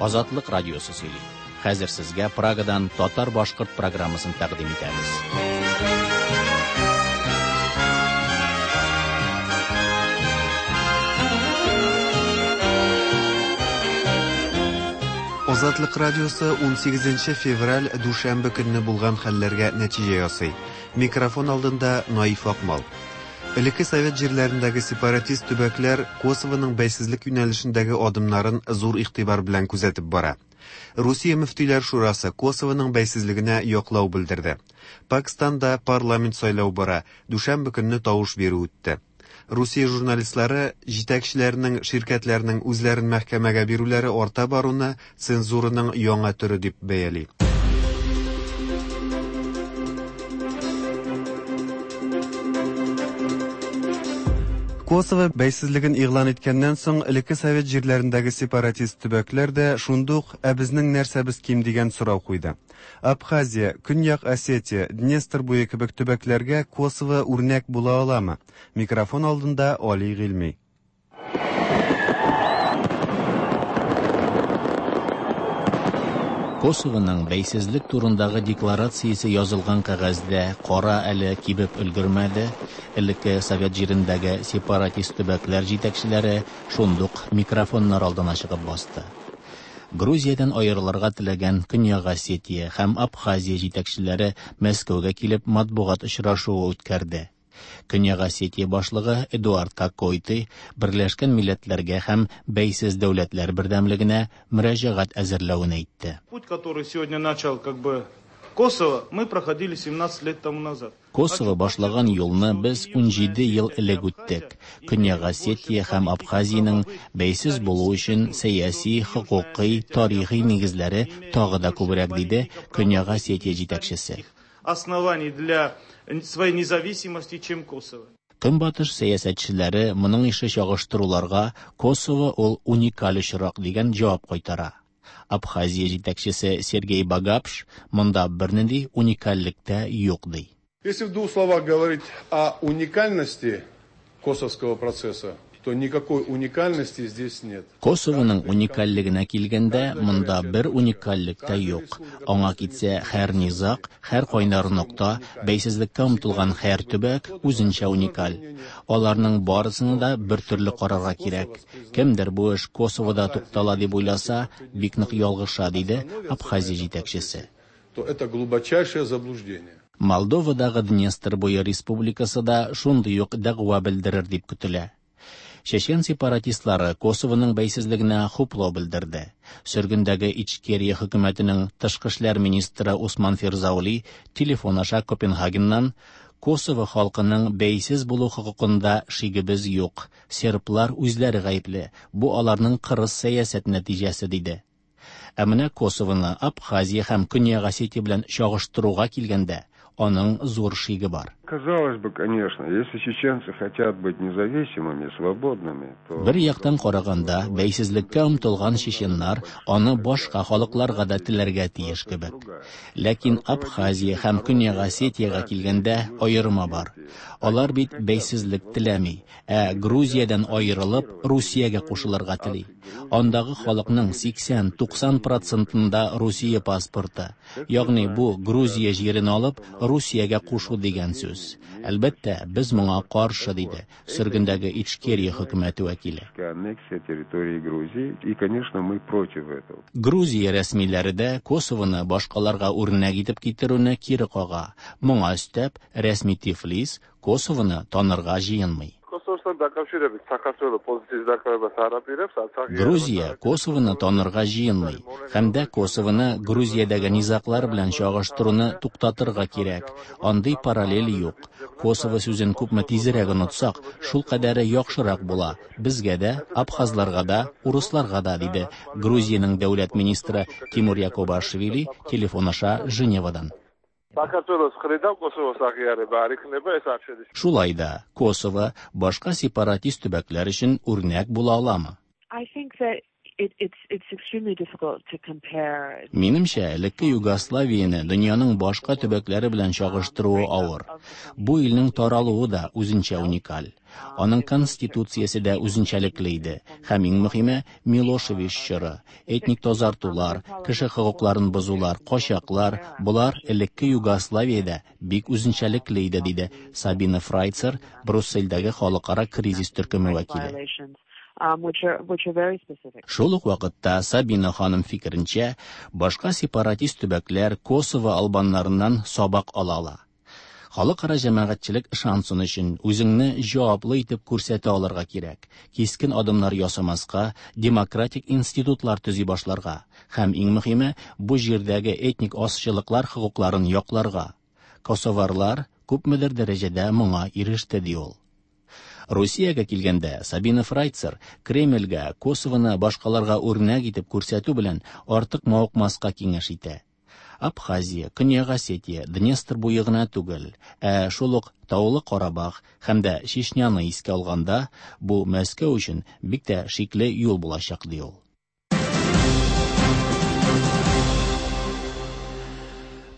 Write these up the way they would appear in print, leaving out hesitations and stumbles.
Азатлык радиосы сөйли. Хәзер сезгә Прагадан татар-башкорт программасын тәкъдим итәбез. Азатлык радиосы 18 февраль дүшәмбе көнне булган хәлләргә нәтиҗә ясый. Микрофон алдында Наиф Акмал. Элекке совет җирләрендәге сепаратист төбәкләр Косовоның бәйсезлек юнәлешендәге адымнарын зур игътибар белән күзәтеп бара. Русия мөфтиләр шурасы Косовоның бәйсезлегенә яклау белдерде. Пакстанда парламент сайлау бара, дүшәмбе көнне тавыш бирү үтте. Русия журналистлары җитәкчеләренең ширкәтләрнең үзләрен мәхкәмәгә бирүләре арта баруны цензураның яңа төре дип бәяли. Косово бәйсезлеген игълан иткәннән соң, элекке совет җирләрендәге сепаратист төбәкләр дә шундук «Ә безнең нәрсәбез ким?» дигән сорау куйды. Абхазия, Көньяк Осетия, Днестр буе кебек төбәкләргә Косово үрнәк була аламы? Микрофон алдында Али Гыйльми. Косовоның бәйсезлек турындагы декларациясе язылган кәгазьдә кара әле кибеп өлгермәде, элекке совет җирендәге сепаратист төбәкләр җитәкчеләре шундук микрофоннар алдына чыгып басты. Грузиядән аерылырга теләгән Көньяк Осетия һәм Абхазия җитәкчеләре Мәскәүгә килеп матбугат очрашуы үткәрде. Көньяк Осетия башлыгы Эдуард Кокойты Берләшкән Милләтләргә һәм Бәйсез Дәүләтләр Бердәмлегенә мөрәҗәгать әзерләвен әйтте. Путь, который сегодня начал как бы Косово, мы проходили 17 лет тому назад. Косово башлаган юлны без 17 ел элек үттек. Көньяк Осетия һәм Абхазиянең бәйсез булу өчен сәяси, хокукый, тарихи нигезләре тагы да күбрәк, диде Көньяк Осетия җитәкчесе. Оснований для своей независимости, чем Косово. Көнбатыш сәясәтчеләре моның ише чагыштыруларга Косово ул уникаль очрак дигән җавап кайтара. Абхазия җитәкчесе Сергей Багапш монда бернинди уникальлек тә юк ди. Если в двух словах говорить о уникальности косовского процесса, то никакой уникальности здесь нет. Косовоның уникальлегенә килгәндә, монда бер уникальлек тә юк. Аңа китсә, һәр низаг, һәр кайнар нокта, бәйсезлеккә омтылган һәр төбәк үзенчә уникаль. Аларның барысына да бер төрле карарга кирәк. Кемдер бу эш Косовода туктала дип уйласа, бик нык ялгыша, диде Абхазия җитәкчесе. То это глубочайшее заблуждение. Молдовадагы Днестр буе республикасы да шундый ук дәгъва белдерер дип көтелә. Чечен сепаратистлары Косовоның бәйсезлегенә хуплау белдерде. Сөргендәге Ичкерия хөкүмәтенең тышкы эшләр министры Усман Фирзаули телефон аша Копенгагеннан Косово халкының бәйсез булу хокукында шигебез юк. Серблар үзләре гаепле. Бу аларның кырыс сәясәт нәтиҗәсе, диде. Ә менә Косовоны Абхазия һәм Көньяк Осетия белән чагыштыруга килгәндә, аның зур шиге бар. Казалось бы, конечно, если чеченцы хотят быть независимыми, свободными, то... Бер яктан караганда, бәйсезлеккә омтылган чеченнар аны башка халыкларга да теләргә тиеш кебек. Ләкин Абхазия һәм Көньяк Осетиягә килгәндә аерма бар. Алар бит бәйсезлек теләми, ә Грузиядән аерылып, Русиягә кушылырга тели. Андагы халыкның 80-90 процентында Русия паспорты. Ягъни бу Грузия җирен алып, Русиягә кушу дигән сүз. Әлбәттә, без моңа каршы, диде сөргендәге Ичкерия хөкүмәте вәкиле. Аннексия территории Грузии, и, конечно, мы против этого. Грузия рәсмиләре дә Косовоны башкаларга үрнәк итеп китерүне кире кага. Моңа өстәп, рәсми Тифлис Косовоны танырга җыенмый. Kosovostan დაკავშირებით საქართველო პოზიციის დაკავებას არ აპირებს, არც აღიარებას. Грузия Косовоны танырга җыенмый һәм дә Косовоны Грузиядәге низаглар белән чагыштыруны туктатырга кирәк. Андый параллель юк. Косово сүзен күпме тизрәк онытсак, шул кадәре яхшырак була. Безгә дә, абхазларга да, урысларга да, диде Грузиянең дәүләт министры Тимур Якобашвили телефон аша Женевадан. საქართველოს მხრიდან Კოსოვოს აღიარება არ იქნება, ეს არ შედის. Шулай да Косово башка сепаратист төбәкләр өчен үрнәк була аламы? I think that it's extremely difficult to compare. Минемчә, элекке Югославияне дөньяның башка төбәкләре белән чагыштыруы авыр. Бу илнең таралуы да үзенчә уникаль. Аның конституциясе дә үзенчәлекле иде. Һәм иң мөһиме, Милошевич чоры, этник тазартулар, кеше хокукларын бозулар, качаклар, болар элекке Югославиядә бик үзенчәлекле иде, диде Сабина Фрайцер, Бруссельдәге халыкара кризис төркеме вәкиле. Шул ук вакытта Сабина ханым фикеренчә, башка сепаратист төбәкләр Косово албаннарыннан сабак ала ала. Халыкара җәмәгатьчелек ышансын өчен үзеңне җаваплы итеп күрсәтә алырга кирәк. Кискен адымнар ясамаска, демократик институтлар төзи башларга һәм иң мөһиме, бу җирдәге этник азчылыклар хокукларын якларга. Косоварлар күпмедер дәрәҗәдә моңа иреште, ди ул. Русиягә килгәндә, Сабина Фрайцер Кремльгә Косовоны башкаларга үрнәк итеп күрсәтү белән артык мавыкмаска киңәш итә. Абхазия, Көньяк Осетия, Днестр буе гына түгел, ә шул ук Таулы Карабах һәм дә Чечняны искә алганда, бу Мәскәү өчен бик тә шикле юл булачак, ди ул.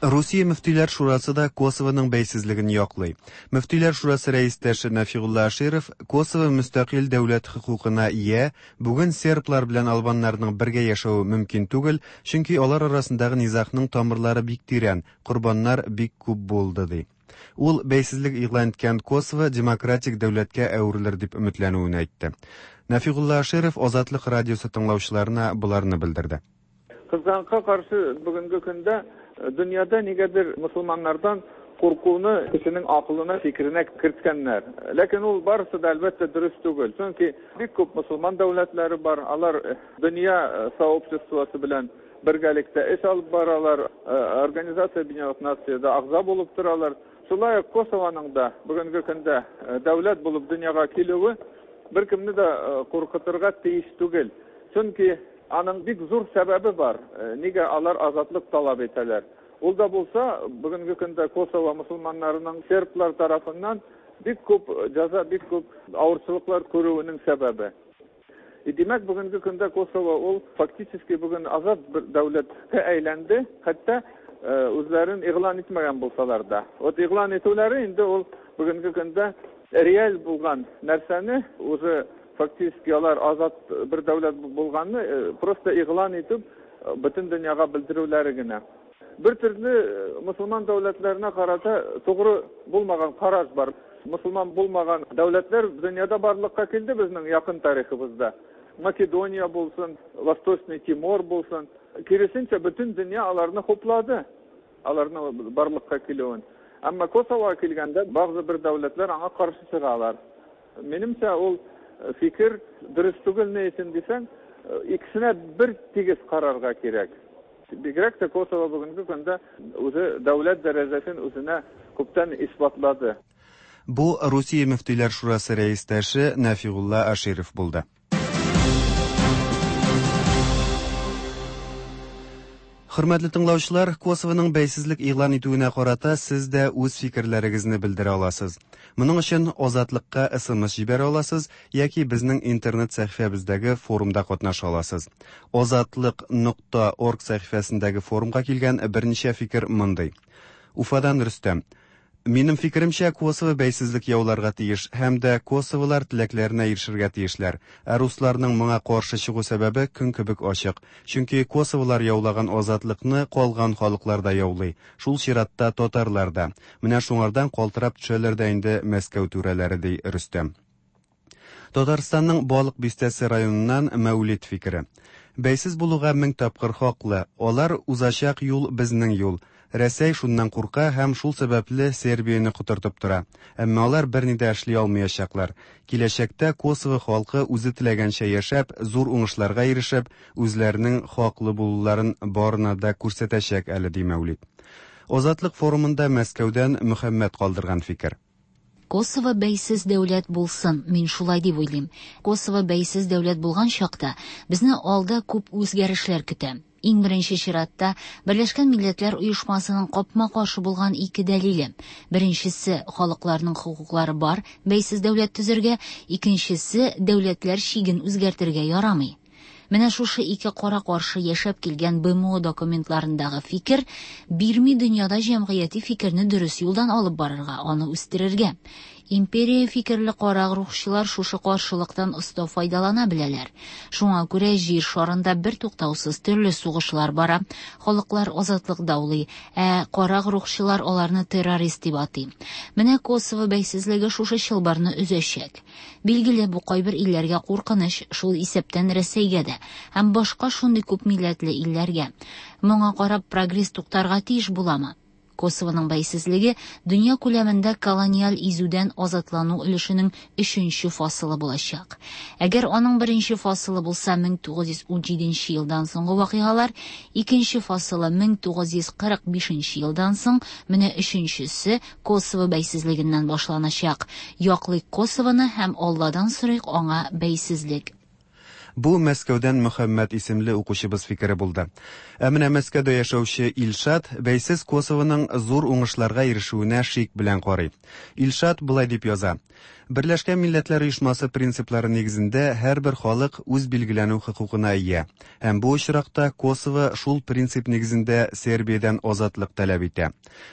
Русия мөфтиләр шурасы да Косовоның бәйсезлеген яклый. Мөфтиләр шурасы рәистәше Нәфигулла Аширов Косово мөстәкыйль дәүләт хокукына ия, бүген серблар белән албаннарның бергә яшәве мөмкин түгел, чөнки алар арасындагы низагның тамырлары бик тирән, корбаннар бик күп булды, ди. Ул бәйсезлек игълан иткән Косово демократик дәүләткә әверелер дип өметләнүен әйтте. Нәфигулла Аширов Азатлык радиосы тыңлаучыларына боларны белдерде. Кызганычка каршы, бүгенге көндә дөньяда нигәдер мөселманнардан куркуны кешенең акылына, фикеренә керткәннәр. Ләкин ул барысы да, әлбәттә, дөрес түгел. Чөнки бик күп мөселман дәүләтләре бар, алар дөнья сообществосы белән бергәлектә эш алып баралар, Организация Объединенных Нациядә әгъза булып торалар. Шулай ук Косованың да бүгенге көндә дәүләт булып дөньяга килүе беркемне дә куркытырга тиеш түгел. Чөнки аның бик зур сәбәбе бар, нигә алар азатлык таләп итәләр. Ул да булса, бүгенге көндә Косово мөселманнарының серблар тарафыннан бик күп җәза, бик күп авырчылыклар күрүенең сәбәбе. И димәк, бүгенге көндә Косово ул фактически бүген азат бер дәүләткә әйләнде, хәтта үзләрен игълан итмәгән булсалар да. Вот игълан итүләре инде ул бүгенге көндә реаль булган нәрсәне уже фактически алар азат бер дәүләт булганны просто игълан итеп бөтен дөньяга белдерүләре генә. Бер төрле мөселман дәүләтләренә карата тугры булмаган караш бар. Мөселман булмаган дәүләтләр дөньяда барлыкка килде безнең якын тарихыбызда. Македония булсын, Восточный Тимор булсын. Киресенчә, бөтен дөнья аларны хуплады, аларны барлыкка килүен. Әмма Косовога килгәндә, бәгъзе бер дәүләтләр аңа каршы чыгалар. Минемчә, ул фикер дөрес түгел, ни өчен дисәң, икесенә бер тигез карарга кирәк. Бигрәк тә Косово бүгенге көндә үзе дәүләт дәрәҗәсен үзенә күптән исбатлады. Бу Русия мөфтиләр шурасы рәистәше Нәфигулла Аширов булды. Хөрмәтле тыңлаучылар, Косовоның бәйсезлек игълан итүенә карата сез дә үз фикерләрегезне белдерә аласыз. Моның өчен Азатлыкка СМС җибәрә аласыз яки безнең интернет сәхифәбездәге форумда катнаша аласыз. Азатлык.орг сәхифәсендәге форумга килгән берничә фикер мондый. Уфадан Рөстәм. Минем фикеремчә, Косово бәйсезлек яуларга тиеш һәм дә косоволар теләкләренә ирешергә тиешләр. Ә русларның моңа каршы чыгу сәбәбе көн кебек ачык. Чөнки косоволар яулаган азатлыкны калган халыклар да яулый. Шул чиратта татарлар да. Менә шуңардан калтырап төшәләр дә инде Мәскәү түрәләре, ди Рөстәм. Татарстанның Балык Бистәсе районыннан Мәүлид фикере. Бәйсез булуга мең тапкыр хаклы. Алар узачак юл безнең юл. Рәсәй шуннан курка һәм шул сәбәпле Сербияне котыртып тора. Әмма алар берни дә эшли алмаячаклар. Киләчәктә Косово халкы үзе теләгәнчә яшәп, зур уңышларга ирешеп, үзләренең хаклы булуларын барына да күрсәтәчәк әле, ди Мәүлид. Азатлык форумында Мәскәүдән Мөхәммәд калдырган фикер. Косово бәйсез дәүләт булсын, мин шулай дип уйлыйм. Косово бәйсез дәүләт булган чакта безне алда күп үзгәрешләр көтә. Иң беренче чиратта Берләшкән Милләтләр Оешмасының капма-каршы булган ике дәлиле. Беренчесе, халыкларның хокуклары бар бәйсез дәүләт төзергә, икенчесе, дәүләтләр чиген үзгәртергә ярамый. Менә шушы ике кара-каршы яшәп килгән БМО документларындагы фикер бирми дөньяда җәмгыяти фикерне дөрес юлдан алып барырга, аны үстерергә. Империя фикерле карак рухчылар шушы каршылыктан оста файдалана беләләр. Шуңа күрә җир шарында бертуктаусыз төрле сугышлар бара, халыклар азатлык даулый, ә карак рухчылар аларны террорист дип атый. Менә Косово бәйсезлеге шушы чылбырны өзәчәк. Билгеле, бу кайбер илләргә куркыныч, шул исәптән Рәсәйгә дә һәм башка шундый күпмилләтле илләргә. Моңа карап прогресс туктарга тиеш буламы? Косовоның бәйсезлеге дөнья күләмендә колониаль изүдән азатлану өлешенең өченче фасылы булачак. Әгәр аның беренче фасылы булса 1917 елдан соңгы вакыйгалар, икенче фасылы 1945 елдан соң, менә өченчесе Косово бәйсезлегеннән башланачак. Яклыйк Косовоны һәм Алладан сорыйк аңа бәйсезлек. Бу Мәскәүдән Мөхәммәт исемле укучыбыз фикере булды. Ә менә Мәскәүдә яшәүче Илшат бәйсез Косовоның зур уңышларга ирешүенә шик белән карый. Илшат болай дип яза: Берләшкән Милләтләр Оешмасы принциплары нигезендә һәрбер халык үз билгеләнү хокукына ия. Һәм бу очракта Косово шул принцип нигезендә Сербиядән азатлык таләп итә.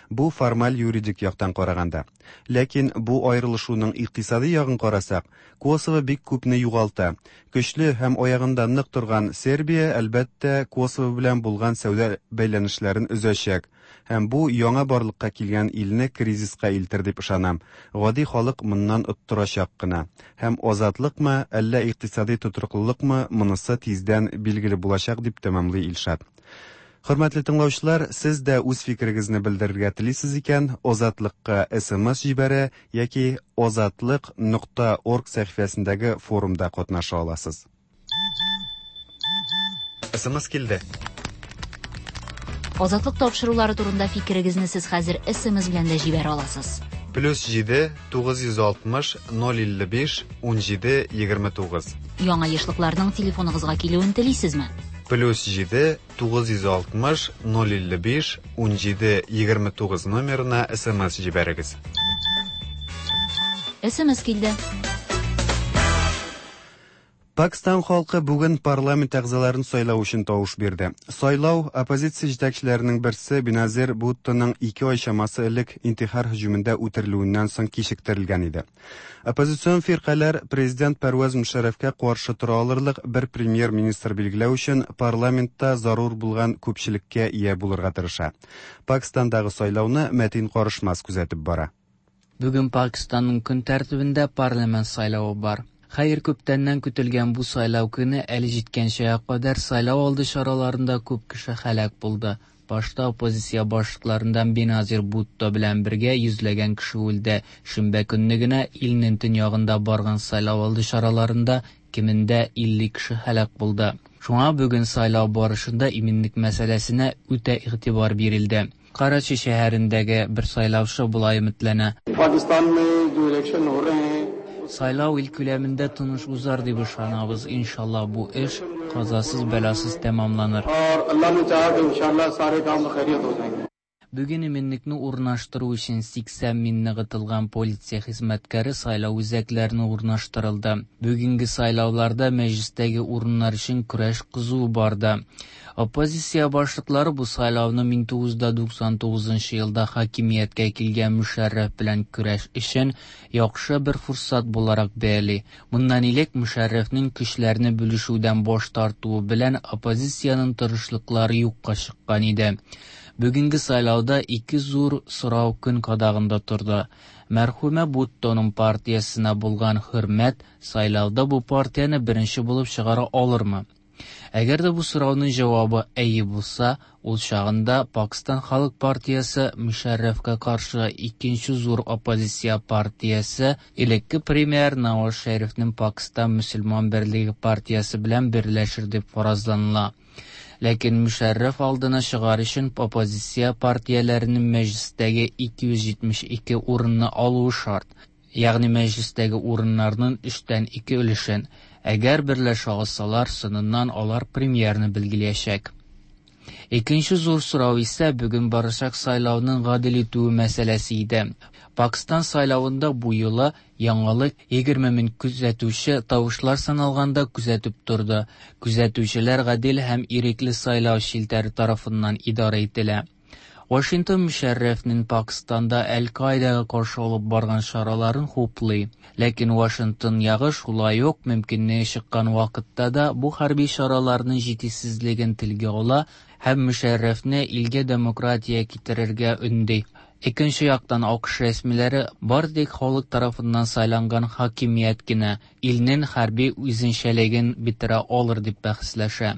Бу формаль юридик яктан караганда. Ләкин бу аерылышуның икътисади ягын карасак, Косово бик күпне югалта. Көчле һәм аягында нык торган Сербия, әлбәттә, Косово белән булган сәүдә бәйләнешләрен өзәчәк. Һәм бу яңа барлыкка килгән илне кризиска илтер дип ышанам. Гади халык моннан оттырачак кына. Һәм азатлыкмы, әллә икътисади тотрыклылыкмы, монысы тиздән билгеле булачак, дип тәмамлый Илшат. Хөрмәтле тыңлаучылар, сез дә үз фикерегезне белдерергә телисез икән, Азатлыкка SMS җибәрә яки azatliq.org сәхифәсендәге форумда катнаша аласыз. SMS килде. Азатлык тапшырулары турында фикерегезне сез хәзер SMS белән дә җибәрә аласыз. Плюс 7 960 055 17 29. Яңа ешлыкларның телефоныгызга килүен телисезме? Плюс 7 960 055 17 29 номерына SMS җибәрегез. SMS килде. Пакстан халкы бүген парламент әгъзаларын сайлау өчен тавыш бирде. Сайлау оппозиция җитәкчеләренең берсе Беназир Буттоның 2 ай чамасы элек интихар һөҗүмендә үтерелүеннән соң кичектерелгән иде. Оппозицион фиркаләр президент Пәрвәз Мөшәррәфкә каршы тора алырлык бер премьер-министр билгеләү өчен парламентта зарур булган күпчелеккә ия булырга тырыша. Пакстандагы сайлауны Мәтин Карышмас күзәтеп бара. Бүген Пакистанның көн тәртибендә парламент сайлавы бар. Хәер, күптәннән көтелгән бу сайлау көне әле җиткәнчегә кадәр сайлау алды чараларында күп кеше һәлак булды. Башта оппозиция башлыкларыннан Беназир Бутто белән бергә йөзләгән кеше үлде. Шимбә көнне генә илнең төньягында барган сайлау алды чараларында кимендә 50 кеше һәлак булды. Шуңа бүген сайлау барышында иминлек мәсьәләсенә үтә игътибар бирелде. Карачи шәһәрендәге бер сайлаучы болай өметләнә. Сайлау ил күләмендә тыныч узар дип ышанабыз. Иншалла бу эш казасыз бәласыз тәмамланыр. Бүген иминлекне урнаштыру өчен 80 мең ныгытылган полиция хезмәткәре сайлау үзәкләренә урнаштырылды. Бүгенге сайлауларда мәҗлестәге урыннар өчен көрәш кызу барды. Оппозиция башлыклары бу сайлауны 1999 елда хакимияткә килгән Мөшәррәф белән көрәш өчен яхшы бер форсат буларак бәяли. Моннан элек Мөшәррәфнең көчләрне бүлешүдән баш тартуы белән оппозициянең тырышлыклары юкка чыккан иде. Бүгенге сайлауда ике зур сорау көн кадагында торды. Мәрхүмә Буттоның партиясенә булган хөрмәт сайлауда бу партияне беренче булып чыгара алырмы? Әгәр дә бу сорауның җавабы әйе булса, ул чагында Пакистан халык партиясе Мөшәррәфкә каршы икенче зур оппозиция партиясе элекке премьер Наваз Шәрифнең Пакистан мөселман берлеге партиясе белән берләшер дип фаразланыла. Ләкин Мөшәррәф алдына чыгар өчен оппозиция партияләренең мәҗлестәге 272 урынны алуы шарт. Ягъни мәҗлестәге урыннарның 2/3 өлешен. Әгәр берләшә алсалар, соңыннан алар премьерны билгеләячәк. Икенче зур сорау исә бүген барачак сайлауның гадел итүе мәсьәләсе иде. Пакистан сайлавында бу юлы яңалык 20 мең күзәтүче тавышлар саналганда күзәтеп торды. Күзәтүчеләр гадел һәм ирекле сайлау челтәре тарафыннан идарә ителә. Вашингтон Мөшәррәфнең Пакстанда Әл-Каидага каршы алып барган чараларын хуплый. Ләкин Вашингтон ягы шулай ук мөмкинлеге чыккан вакытта да бу хәрби чараларның җитешсезлеген телгә ала һәм Мөшәррәфне илгә демократия китерергә өнди. Икенче яктан АКШ рәсмиләре бары тик халык тарафыннан сайланган хакимият кенә илнең хәрби үзенчәлеген бетерә алыр дип бәхәсләшә.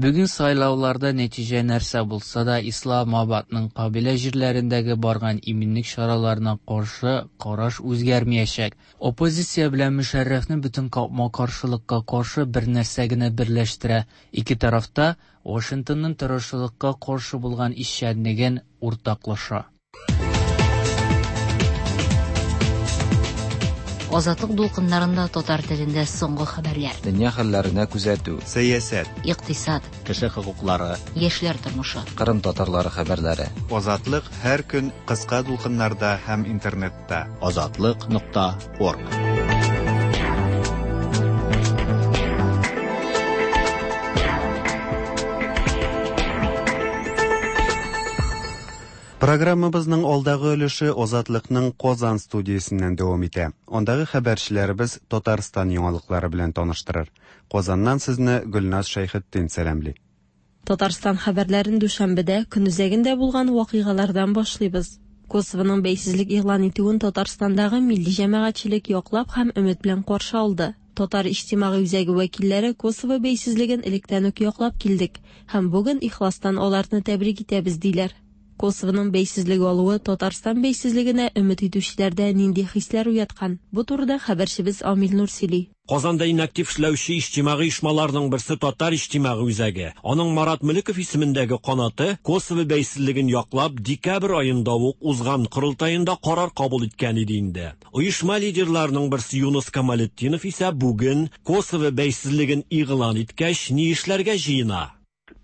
Бүген сайлауларда нәтиҗә нәрсә булса да, Исламабадның кабилә җирләрендәге барган иминлек чараларына каршы караш үзгәрмәячәк. Оппозиция белән Мөшәррәфне бөтен капма-каршылыкка каршы бер нәрсә генә берләштерә. Ике тараф та Вашингтонның террорчылыкка каршы булган эшчәнлеген уртаклаша. Азатлык дулкыннарында татар телендә соңгы хәбәрләр. Дөнья хәлләренә күзәтү. Сәясәт. Икътисад. Кеше хокуклары. Яшьләр тормышы. Кырым татарлары хәбәрләре. Азатлык һәр көн кыска дулкыннарда һәм интернетта. Азатлык.орг. Программабызның алдагы өлеше Азатлыкның Казан студиясеннән дәвам итә. Андагы хәбәрчеләребез Татарстан яңалыклары белән таныштырыр. Казаннан сезне Гөлназ Шәйхетдин сәламли. Татарстан хәбәрләрен дүшәмбедә көнүзәгендә булган вакыйгалардан башлыйбыз. Косовоның бәйсезлек игълан итүен Татарстандагы милли җәмәгатьчелек яклап һәм өмет белән каршы алды. Татар иҗтимагый үзәге вәкилләре Косово бәйсезлеген электән үк яклап килдек һәм бүген ихластан аларны тәбрик итәбез диләр. Косовоның бәйсезлеге алуы Татарстан бәйсезлегенә өмет итүчеләрдә нинди хисләр уяткан? Бу турыда хәбәрчебез Амил Нур сөйли. Казанда иң актив эшләүче иҗтимагый оешмаларның берсе Татар иҗтимагый үзәге. Аның Марат Мөлеков исемендәге канаты Косово бәйсезлеген яклап декабрь аенда ук узган корылтаенда карар кабул иткән иде инде. Оешма лидерларының берсе Юныс Камалетдинов исә бүген Косово бәйсезлеген игълан иткәч ни эшләргә җыена?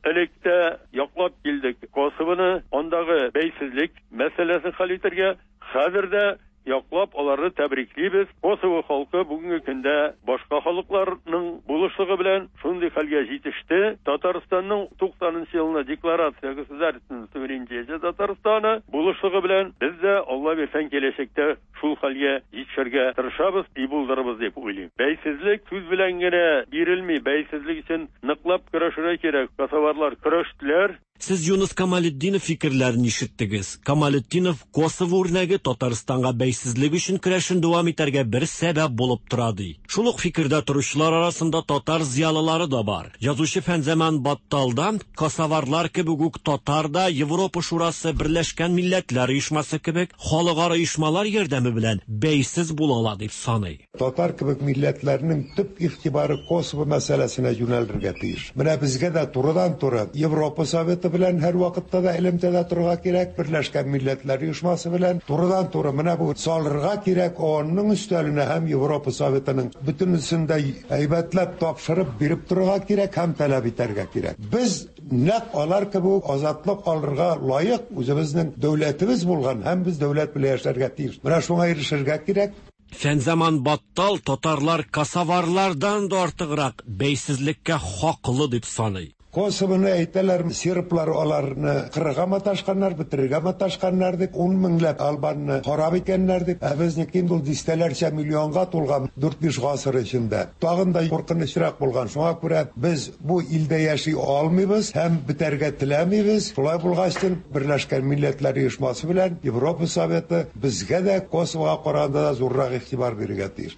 Электә яклап килдек Косовоны, андагы бәйсезлек мәсьәләсен хәл итәргә, хәзер дә яклап аларны тәбриклибез. Косово халкы бүгенге көндә башка халыкларның булышлыгы белән шундый хәлгә җитеште. Татарстанның 90 елына декларация государственного суверенитета Татарстана булышлыгы белән без дә Алла бирсәң киләчәктә шул хәлгә җитешергә тырышабыз, и булдырабыз дип уйлыйм. Бәйсезлек сүз белән генә бирелми, бәйсезлек өчен ныклап көрәшергә кирәк. Косоварлар көрәштеләр. Сез Юныс Камалетдинов фикерләрен ишеттегез. Камалетдинов Косово үрнәге Татарстанга бәйсезлек өчен көрәшен дәвам итәргә бер сәбәп булып тора ди. Шул ук фикердә торучылар арасында татар зыялылары да бар. Язучы Фәнзаман Батталдан косоварлар кебек үк татар да Европа Шурасы, Берләшкән Милләтләр Оешмасы кебек халыкара оешмалар ярдәме белән бәйсез була ала дип саный. Татар кебек милләтләрнең төп игътибары Косово мәсьәләсенә юнәлергә тиеш. Менә безгә дә турыдан-туры Европа Советы белән һәр вакытта да элемтәдә торырга кирәк, Берләшкән Милләтләр Оешмасы белән турыдан-туры менә бу салырга кирәк ООНның өстәленә һәм Европа Советының бөтенесен дә әйбәтләп тапшырып биреп торырга кирәк һәм таләп итәргә кирәк. Без нәкъ алар кебек азатлык алырга лаек, үзебезнең дәүләтебез булган һәм без дәүләт белән яшәргә тиеш. Менә шуңа ирешергә кирәк. Фәнзаман Баттал татарлар косоварлардан да артыграк бәйсезлеккә хаклы дип саный. Косовоны әйтәләр, серблар аларны кырырга маташканнар, бетерергә маташканнар дип, 10 меңләп албанны харап иткәннәр дип, ә безнеке инде ул дистәләрчә миллионга тулган 4-5 гасыр эчендә. Тагын да куркынычрак булган. Шуңа күрә без бу илдә яши алмыйбыз һәм бетәргә теләмибез. Шулай булгач, Берләшкән Милләтләр Оешмасы белән Европа Советы безгә дә Косовога караганда да зуррак игътибар бирергә тиеш.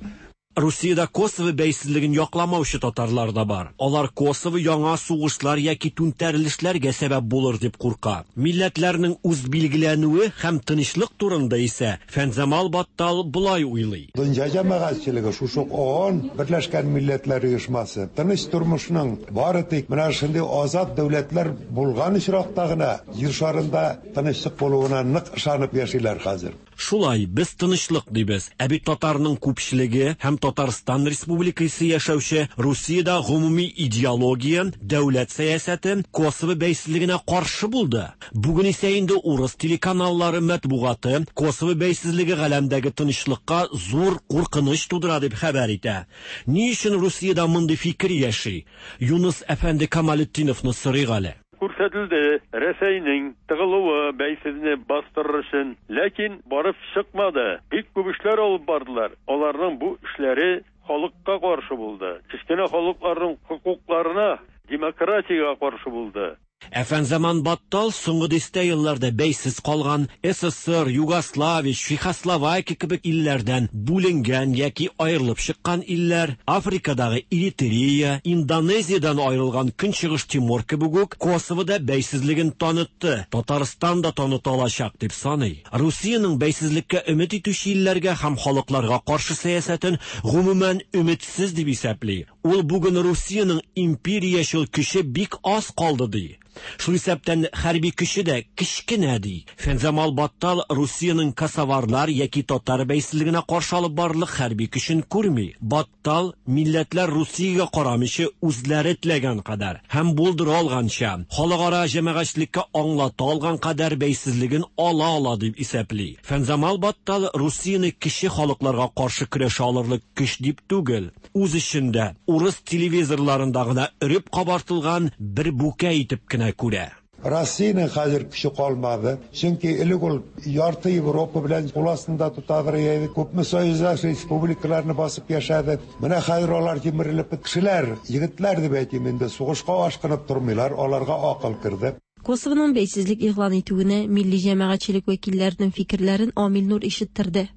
Русиядә Косово бәйсезлеген якламаучы татарлар да бар. Алар Косово яңа сугышлар яки түнтәрелешләргә сәбәп булыр дип курка. Милләтләрнең үз билгеләнүе һәм тынычлык турында исә Фәнзамал Баттал болай уйлый. Дөнья җәмәгатьчелеге шушы ООН, Берләшкән Милләтләр Оешмасы, тыныч тормышның бары тик менә шундый азат дәүләтләр булган очракта гына җир шарында тынычлык булуына нык ышанып яшиләр хәзер. Шулай, без тынычлык дибез. Ә бит татарның күпчелеге һәм Татарстан Республикасы яшәүче Русиядә гомуми идеология, дәүләт сәясәте Косово бәйсезлегенә каршы булды. Бүген исә инде урыс телеканаллары матбугаты Косово бәйсезлеге галәмдәге тынычлыкка зур куркыныч тудыра дип хәбәр итә. Ни өчен Русиядә мондый фикер яши? Юныс әфәнде Камалетдиновны сорыйк әле. күрсәтелде Рәсәйнең тыгылуы бәйсезне бастырыр өчен, ләкин барып чыкмады. Бик күп эшләр алып бардылар. Аларның бу эшләре халыкка каршы булды. Кечкенә халыкларның хокукларына, демократиягә каршы булды. Ә Фәнзаман Баттал соңгы дистә елларда бәйсез калган СССР, Югославия, Чехословакия кебек илләрдән бүленгән яки аерылып чыккан илләр, Африкадагы Эритрея, Индонезиядән аерылган Көнчыгыш Тимор кебек үк Косово да бәйсезлеген танытты, Татарстан да таныта алачак дип саный. Русиянең бәйсезлеккә өмет итүче илләргә һәм халыкларга каршы сәясәтен гомумән өметсез дип исәпли. Ул бүген Русиянең империячел көче бик аз калды ди. Шул исәптән хәрби көче дә кечкенә ди. Фәнзамал Баттал Русиянең косоварлар яки татар бәйсезлегенә каршы алып барырлык хәрби көчен күрми. Баттал милләтләр Русиягә карамыйча үзләре теләгән кадәр һәм булдыра алганча халыкара җәмәгатьчелеккә аңлата алган кадәр бәйсезлеген ала ала дип исәпли. Фәнзамал Баттал Русияне кече халыкларга каршы көрәшә алырлык көч дип түгел, үз эчендә урыс телевизорларында гына өреп кабартылган бер бүкә итеп кенә күрә. Россиянең хәзер көче калмады. Чөнки элек ул ярты Европа белән кул астында тотадыр иде. Күпме союздаш республикаларны басып яшәде. Менә хәзер алар җимерелеп кешеләр, егетләр дип әйтим инде, сугышка ашкынып тормыйлар, аларга акыл керде. Косовоның бәйсезлек игълан итүенә милли җәмәгатьчелек вәкилләренең фикерләрен Амил Нур ишеттерде.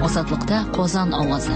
Азатлыкта Казан авазы.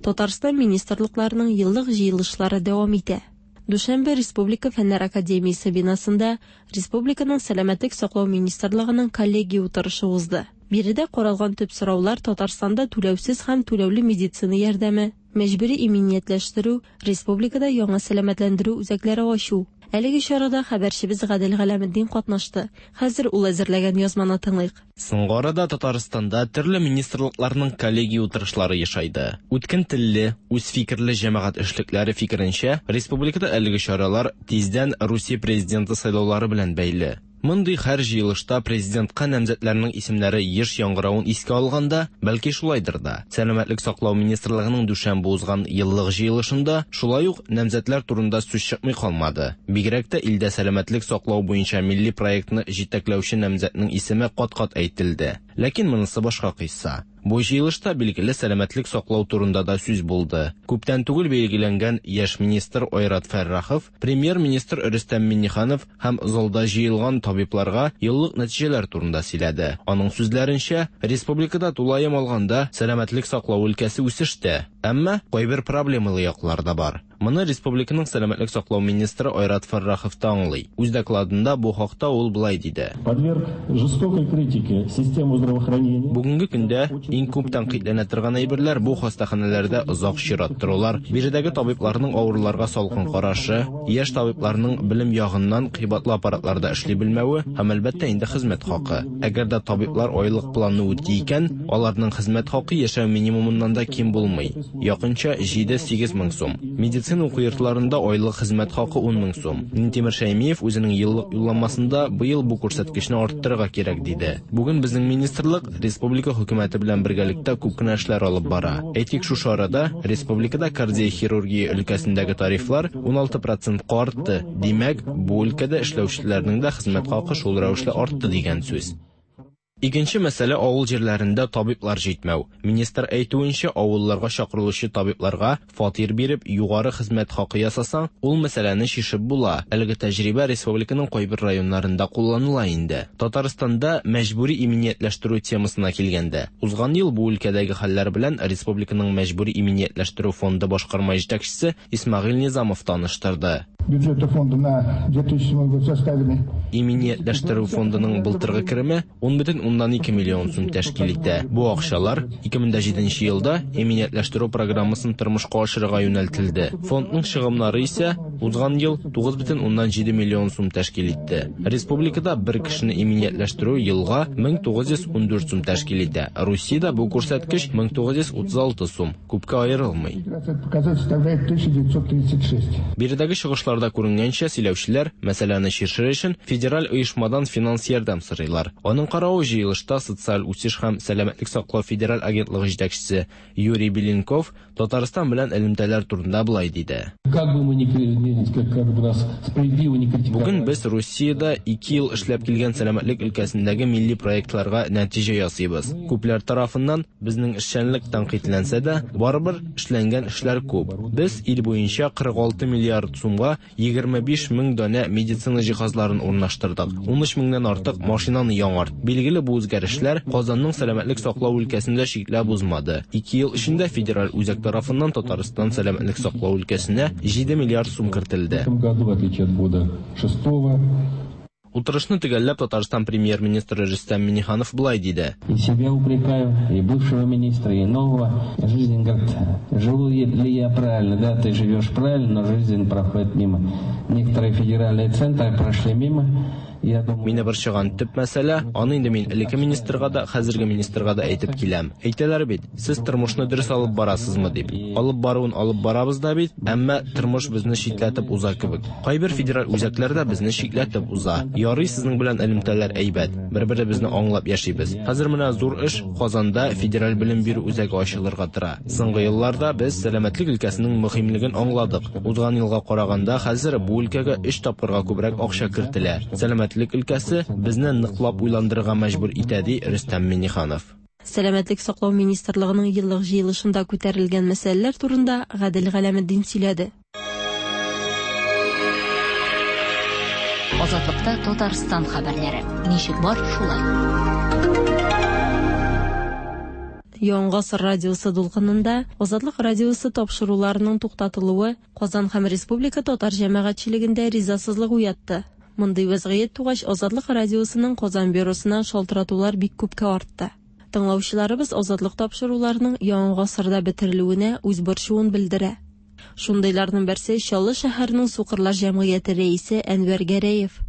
Татарстан министрлыкларының еллык җыелышлары дәвам итә. Дүшәмбе Республика Фәннәр академиясе бинасында Республиканың Сәламәтлек саклау министрлыгының коллегия утырышы узды. Биредә каралган төп сораулар Татарстанда түләүсез һәм түләүле медицина ярдәме, мәҗбүри иминиятләштерү, республикада яңа сәламәтләндерү үзәкләре ачу. Әлеге чарада хәбәрчебез Гадел Галәметдин катнашты. Хәзер ул әзерләгән язманы тыңлыйк. Соңгы арада Татарстанда төрле министрлыкларның коллегия утырышлары ешайды. Үткен телле, үз фикерле җәмәгать эшлекләре фикеренчә, республикада әлеге чаралар тиздән Русия президенты сайлаулары белән бәйле. Мондый һәр җыелышта президентка намзәтләрнең исемнәре еш яңгыравын искә алганда, бәлки шулайдыр да. Сәламәтлек саклау министрлыгының дүшәмбе узган еллык җыелышында шулай ук намзәтләр турында сүз чыкмый калмады. Бигрәк тә илдә сәламәтлек саклау буенча милли проектны җитәкләүче намзәтнең исеме кат-кат әйтелде. Ләкин монысы башка кыйсса. Бу җыелышта билгеле сәламәтлек саклау турында да сүз булды. Күптән түгел билгеләнгән яшь министр Айрат Фәррахов, премьер-министр Рөстәм Миңнеханов һәм залда җыелган табибларга еллык нәтиҗәләр турында сөйләде. Аның сүзләренчә, республикада тулаем алганда сәламәтлек саклау өлкәсе үсештә, әмма кайбер проблемалы яклар да бар. Моны республиканың сәламәтлек саклау министры Айрат Фәррахов та аңлый. Үз докладында бу хакта ул былай диде. Подверг жестокой критике систему здравоохранения. Бүгенге көндә иң күп тәнкыйтьләнә торган әйберләр бу хастаханәләрдә озак чират торулар, биредәге табибларның авыруларга салкын карашы, яшь табибларның белем ягыннан кыйбатлы аппаратларда эшли белмәве һәм әлбәттә инде хезмәт хакы. Әгәр дә табиблар айлык планны үти икән, аларның хезмәт хакы яшәү минимумыннан да ким булмый. Якынча 7-8 мең сум. Медицина уку йортларында айлык хезмәт хакы 10 мең сум. Минтимер Шәймиев үзенең еллык юлламасында быел бу күрсәткечне арттырырга кирәк диде. Бүген безнең министрлык республика хөкүмәте белән бергәлектә күп кенә эшләр алып бара. Әйтик, шушы арада республикада кардиохирургия өлкәсендәге тарифлар 16%-ка артты. Димәк, бу өлкәдә эшләүчеләрнең дә хезмәт хакы шул рәвешле артты дигән сүз. Икенче мәсьәлә авыл җирләрендә табиблар җитмәү. Министр әйтүенчә, авылларга чакырылучы табибларга фатир биреп, югары хезмәт хакы ясасаң, ул мәсьәләне чишеп була. Әлеге тәҗрибә республиканың кайбер районнарында кулланыла инде. Татарстанда мәҗбүри иминиятләштерү темасына килгәндә, узган ел бу өлкәдәге хәлләр белән республиканың мәҗбүри иминиятләштерү фонды башкарма җитәкчесе Исмәгыйль Низамов таныштырды. Бюджетный фонды на 2007 год составили. Иминиятләштерү фондының былтыргы кереме 10,2 миллион сум тәшкил итә. Бу акчалар 2007 елда иминиятләштерү программасын тормышка ашырырга юнәлтелде. Фондның чыгымнары исә узган ел 9,7 миллион сум тәшкил итте. Республикада бер кешене иминиятләштерү елга 1914 сум тәшкил итә. Русиядә бу күрсәткеч 1936 сум, күпкә аерылмый. Показатель составляет 1936. Биредәге чыгышлар Чыгышларда күренгәнчә, сөйләүчеләр мәсьәләне чишер өчен федераль оешмадан финанс ярдәм сорыйлар. Аның каравы җыелышта социаль үсеш һәм сәламәтлек саклау федераль агентлыгы җитәкчесе Юрий Беленков Татарстан белән элемтәләр турында болай диде. Как бы мы ни, как бы нас справедливо не критиковали. Бүген без Русиядә 2 ел эшләп килгән сәламәтлек өлкәсендәге милли проектларга нәтиҗә ясыйбыз. Күпләр тарафыннан безнең эшчәнлек тәнкыйтьләнсә дә, барыбер эшләнгән эшләр күп. Без ил буенча 46 миллиард сумга 25 мең данә медицина җиһазларын урнаштырдык. 13 меңнән артык машинаны яңарт. Билгеле, бу үзгәрешләр Казанның сәламәтлек саклау өлкәсендә чикләп узмады. 2 ел эчендә федераль үзәк тарафыннан Татарстан сәламәтлек саклау өлкәсенә 7 миллиард сум кертелде. В этом году, в отличие от года шестого, Утырышны төгәлләп Татарстан премьер-министры Рөстәм Миңнеханов болай диде. И себя упрекаю, и бывшего министра, и нового. Жизнь говорит, живу ли я правильно, да, ты живешь правильно, но жизнь проходит мимо. Некоторые федеральные центры прошли мимо. Я думаю, Мине борчыган төп мәсьәлә, аны инде мин элекке министрга да, хәзерге министрга да әйтеп киләм. Әйтәләр бит, сез тормышны дөрес алып барасызмы дип. Алып баруын алып барабыз да бит, әмма тормыш безне читләтеп уза кебек. Кайбер федераль үзәкләр дә безне читләтеп уза. Ярый сезнең белән элемтәләр әйбәт, бер-беребезне аңлап яшибез. Хәзер менә зур эш Казанда федераль белем бирү үзәге ачылырга тора. Соңгы елларда без сәламәтлек өлкәсенең мөһимлеген аңладык. Узган елга караганда хәзер бу өлкәгә 3 тапкырга күбрәк акча кертелә. Сәламәтлек өлкәсе безне ныклап уйландырырга мәҗбүр итә, ди Рөстәм Миңнеханов. Сәламәтлек саклау министрлыгының еллык җыелышында күтәрелгән мәсьәләләр турында Гадел Галәметдин сөйләде. Азатлыкта Татарстан хәбәрләре. Ничек бар, шулай. Яңа гасыр радиосы дулкынында Азатлык радиосы тапшыруларының туктатылуы Казан һәм республика татар җәмәгатьчелегендә ризасызлык уятты. Мондый вәзгыять тугач, Азатлык радиосының Казан бюросына шалтыратулар бик күпкә артты. Тыңлаучыларыбыз Азатлык тапшыруларының Яңа гасырда бетерелүенә үз борчуын белдерә. Шундыйларның берсе Чаллы шәһәренең Сукырлар җәмгыяте рәисе Әнвәр Гәрәев.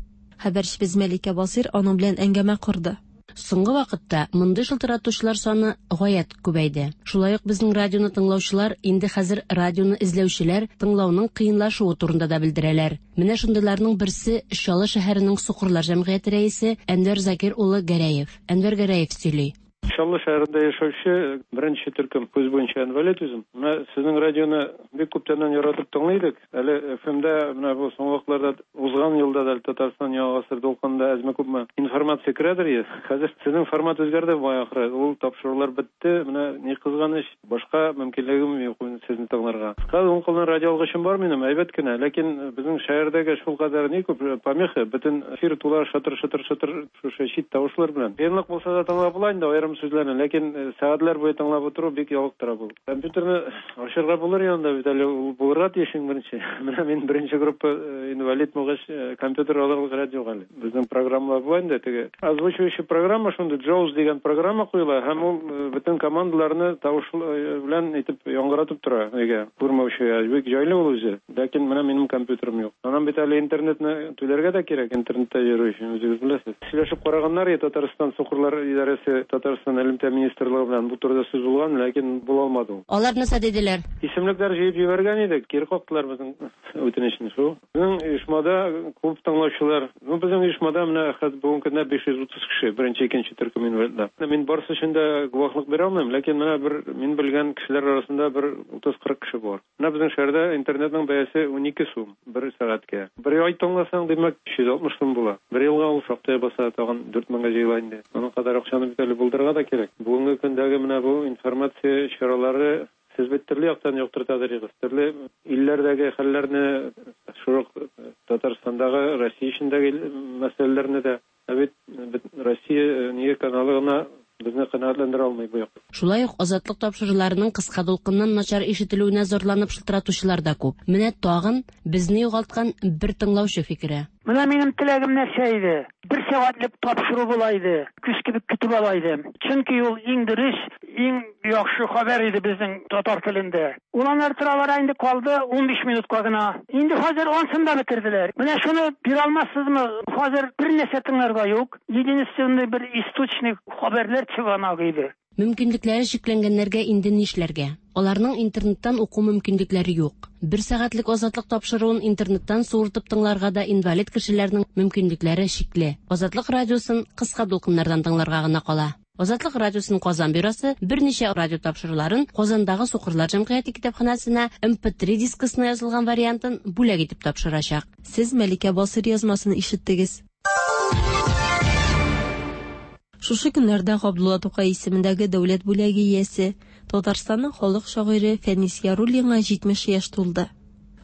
Хәбәрчебез Мәликә Басыйр аның белән әңгәмә корды. Соңгы вакытта мондый шылтыратучылар саны гаять күбәйде. Шулай ук безнең радионы тыңлаучылар инде хәзер радионы эзләүчеләр тыңлауның кыенлашуы турында да белдерәләр. Менә шундыйларның берсе Чаллы шәһәренең Сукырлар җәмгыяте рәисе Әнвәр Закир улы Гәрәев. Әнвәр Гәрәев сөйли. Чаллы шәһәрендә яшәүче беренче төркем күз буенча инвалид үзем. Менә сезнең радионы бик күптәннән яратып тыңлый идек. Әле ФМда менә бу соңгы вакытларда узган елда да Татарстан Яңа гасыр дулкынында әзме-күпме информация керәдер иде. Хәзер сезнең формат үзгәрде бугай ахры. Ул тапшырулар бетте. Менә ни кызганыч, башка мөмкинлегем юк сезне тыңларга. Кыска уң кулдан радио алгычым бар минем, әйбәт кенә. Ләкин безнең шәһәрдәге шулкадәр ни күп помеха, бөтен эфир тула шатыр-шатыр-шатыр шушы чит тавышлар белән. Кыенлык булса да тыңлап була инде аерым сүзләрне, ләкин сәгатьләр буе тыңлап утыру бик ялыктыра бу. Компьютерны ачырга булыр янында бит әле ул булырга тиеш иң беренче. Менә мин беренче группа инвалид булгач, компьютер алырлык рәт юк әле. Безнең программалар була инде теге. Озвучивающий программа шундый JAWS дигән программа куела һәм ул бөтен командаларны тавыш белән итеп яңгыратып тора өйгә. Күрмәүчегә бик җайлы ул үзе. Ләкин менә минем компьютерым юк. Аннан бит әле интернетны түләргә дә кирәк, интернетта йөрү өчен үзегез беләсез. Сөйләшеп караганнар иде Татарстан Сукырлар идарәсе, Татарстан элемтә министрлыгы белән бу турыда сүз булган, ләкин була алмады ул. Алар нәрсә диделәр? Исемлекләр җыеп җибәргән идек, кире кактылар безнең үтенечне шул. Безнең оешмада күп тыңлаучылар. Ну, безнең оешмада менә хәзер бүгенге көндә 530 кеше, беренче, икенче төркем инвалидлар. Мин барысы өчен дә гуаһлык бирә алмыйм, ләкин менә бер мин белгән кешеләр арасында бер 30-40 кеше бар. Менә безнең шәһәрдә интернетның бәясе 12 сум бер сәгатькә. Бер ай тыңласаң, димәк, 360 сум була. Бер елга ул шактый баса, тагын 4000гә җыела инде. Аның кадәр акчаны бит әле булдырырга да кирәк. Бүгенге көндәге менә бу информация чаралары сез бит төрле яктан яктыртадыр идегез. Төрле илләрдәге хәлләрне, шул ук Татарстандагы, Россия эчендәге мәсьәләләрне дә. Ә бит Россия нигә каналы гына безне канәгатьләндерә алмый бу якта. Шулай ук Азатлык тапшыруларының кыска дулкыннан начар ишетелүенә зарланып шылтыратучылар да күп. Менә тагын безне югалткан бер тыңлаучы фикере. Менә минем теләгем нәрсә иде? Бер сәгатьлек тапшыру була иде. Көз кебек көтеп ала идем. Чөнки ул иң дөрес, иң яхшы хәбәр иде безнең татар телендә. Ул аннары тора-бара инде калды 15 минутка гына. Инде хәзер ансын да бетерделәр. Менә шуны бирә алмассызмы? Хәзер бер нәрсә тыңларга юк. Единственный бер источник хәбәрләр чыганагы иде. Мөмкинлекләре чикләнгәннәргә инде нишләргә? Аларның интернеттан уку мөмкинлекләре юк. Бер сәгатьлек Азатлык тапшыруын интернеттан суыртып тыңларга да инвалид кешеләрнең мөмкинлекләре чикле. Азатлык радиосын кыска дулкыннардан тыңларга гына кала. Азатлык радиосының Казан бюросы берничә радио тапшыруларын Казандагы Сукырлар җәмгыяте китапханәсенә MP3 дискысына язылган вариантын бүләк итеп тапшырачак. Сез Мәликә Басыйр язмасын ишеттегез. Шушы көннәрдә Габдулла Тукай исемендәге дәүләт бүләге иясе, Татарстанның халык шагыйре Фәнис Яруллинга 70 яшь тулды.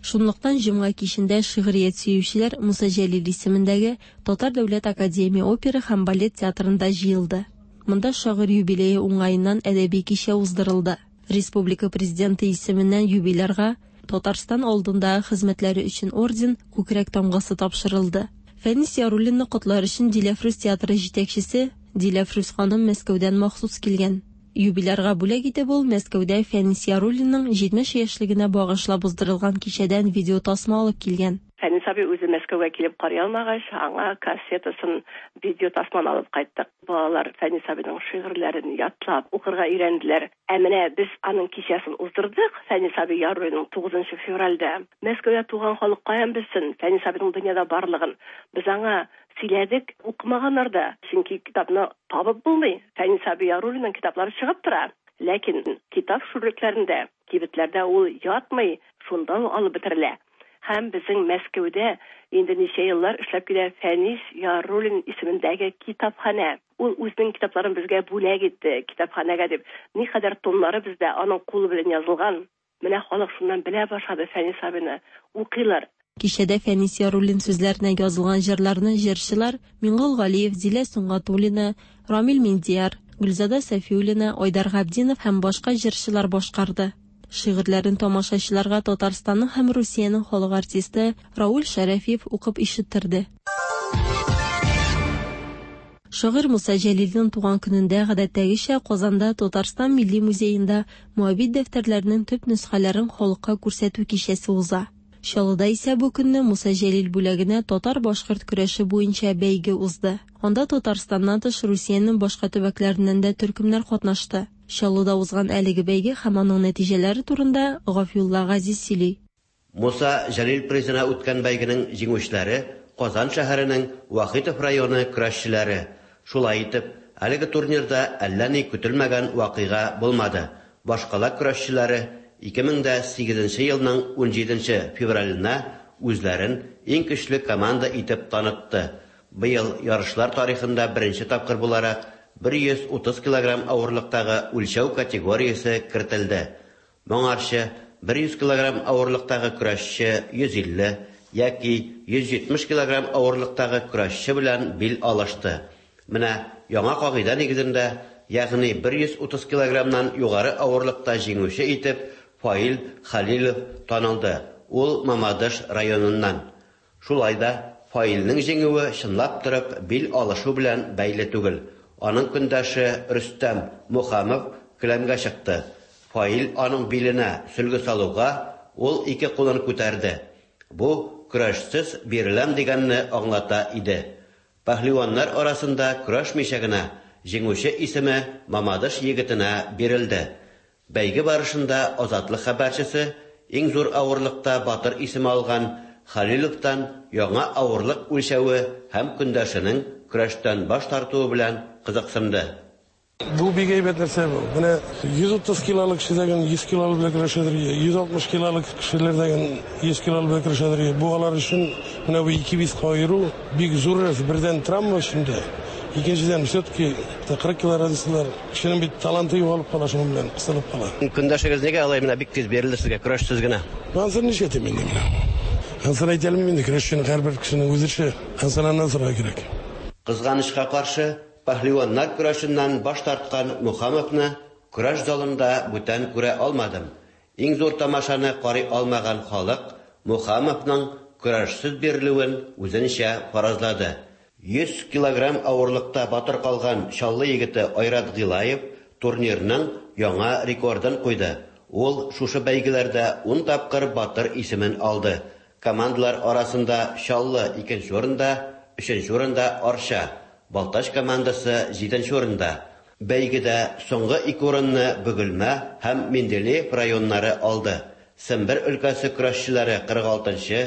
Шунлыктан җомга кичендә шигърият сөючеләр Муса Җәлил исемендәге Татар дәүләт академия опера һәм балет театрында җыелды. Монда шагыйрь юбилее уңаеннан әдәби кичә уздырылды. Республика Президенты исеменнән юбилярга Татарстан алдындагы хезмәтләре өчен орден, күкрәк тамгасы тапшырылды. Фәнис Яруллинны котлар өчен Диләфрүз театры җитәкчесе Диләфрүз ханым Мәскәүдән махсус килгән. Юбилярга бүләк итеп ул Мәскәүдә Фәнис Яруллинның 70 яшьлегенә багышлап уздырылган кичәдән видеотасма алып килгән. Фәнис абый үзе Мәскәүгә килеп карый алмагач, аңа кассетасын, видеотасманы алып кайттык. Балалар Фәнис абыйның шигырьләрен ятлап, укырга өйрәнделәр. Ә менә без аның кичәсен уздырдык, Фәнис абый Яруллинның тугызынчы февральдә. Мәскәүдә туган халык каян белсен Фәнис абыйның дөньяда барлыгын? Без аңа сөйләдек, укымаганнар да, чөнки китапны табып булмый. Фәнис абый Яруллинның китаплары чыгып тора, ләкин китап шүрлекләрендә, кибетләрдә ул ятмый, шунда ук алып бетерелә. Һәм безнең Мәскәүдә инде ничә еллар эшләп килә Фәнис Яруллин исемендәге китапханә. Ул үзенең китапларын безгә бүләк итте, китапханәгә дип. Никадәр томнары бездә аның кулы белән язылган. Менә халык шуннан белә башлады Фәнис абыйны. Укыйлар. Кичәдә Фәнис Яруллин сүзләренә язылган җырларны җырчылар Миңгол Галиев, Зилә Сөнгатуллина, Рамил Миндияр, Гөлзада Сафиуллина, Айдар Габдинов һәм башка җырчылар башкарды. Шигырьләрен тамашачыларга Татарстанның һәм Русиянең халык артисты Рауль Шәрәфиев укып ишеттерде. Шагыйрь Муса Җәлилнең туган көнендә гадәттәгечә Казанда Татарстан Милли музеенда Моабит дәфтәрләренең төп нөсхәләрен халыкка күрсәтү кичәсе уза. Чаллыда исә бу көнне Муса Җәлил бүләгенә татар-башкорт көрәше буенча бәйге узды. Анда Татарстаннан тыш Русиянең башка төбәкләреннән дә төркемнәр катнашты. Чаллыда узган әлеге бәйге һәм аның нәтиҗәләре турында Гафиулла Газиз сөйли. Муса Җәлил призына үткән бәйгенең җиңүчеләре, Казан шәһәренең Вахитов районы көрәшчеләре. Шулай итеп, әлеге турнирда әллә ни көтелмәгән вакыйга булмады, башкала көрәшчеләре 2008 нче елның унҗиденче февраленә үзләрен иң көчле команда итеп танытты. Быел ярышлар тарихында беренче тапкыр буларак, 130 килограмм авырлыктагы үлчәү категориясе кертелде. Моңарчы 100 килограмм авырлыктагы көрәшче 150 яки 170 килограмм авырлыктагы көрәшче белән бил алышты. Менә яңа кагыйдә нигезендә, ягъни 130 килограммнан югары авырлыкта җиңүче итеп Фаил Хәлилов танылды, ул Мамадыш районыннан. Шулай да, Фаилнең җиңүе чынлап торып бил алышу белән бәйле түгел. Аның көндәше Рөстәм Мухамов келәмгә чыкты. Фаил аның биленә сөлге салуга, ул ике кулын күтәрде. Бу, көрәшсез биреләм дигәнне аңлата иде. Пәһлеваннар арасында көрәшмичә генә җиңүче исеме Мамадыш егетенә бирелде. Бәйге барышында Азатлык хәбәрчесе иң зур авырлыкта батыр исеме алган Хәлиловтан яңа авырлык үлчәве һәм көндәшенең көрәштән баш тартуы белән кызыксынды. Бу бик әйбәт нәрсә бу. Менә 130 килолык кеше дәген 100 килолы белән көрәшәдер, 160 килолык кешеләр дәген 100 килолы белән көрәшәдер. Бу алар өчен менә бу ике вес аеру бик зур нәрсә. Бердән травма өчен дә, икенчедән все-таки 40 кило разницалар. Кешенең бит таланты югалып кала шуның белән, кысылып кала. Көндәшегез нигә алай менә бик тиз бирелде сезгә, көрәшсез генә? Ансын нишләтим инде менә. Ансын әйтә алмыйм инде, көрәшченең һәрбер кешенең үз эше. Ансын аннан сорарга кирәк. Кызганычка каршы, пәһлеваннар көрәшеннән баш тарткан Мухамовны көрәш залында бүтән күрә алмадым. Иң зур тамашаны карый алмаган халык Мухамовның көрәшсез бирелүен үзенчә фаразлады. 100 килограмм авырлыкта батыр калган Чаллы егете Айрат Гыйлаев турнирның яңа рекордын куйды. Ул шушы бәйгеләрдә ун тапкыр батыр исемен алды. Командалар арасында Чаллы икенче урында, өченче урында Арча, Балтач командасы җиденче урында. Бәйгедә соңгы ике урынны Бөгелмә һәм Менделеев районнары алды. Сембер өлкәсе көрәшчеләре 46 нчы,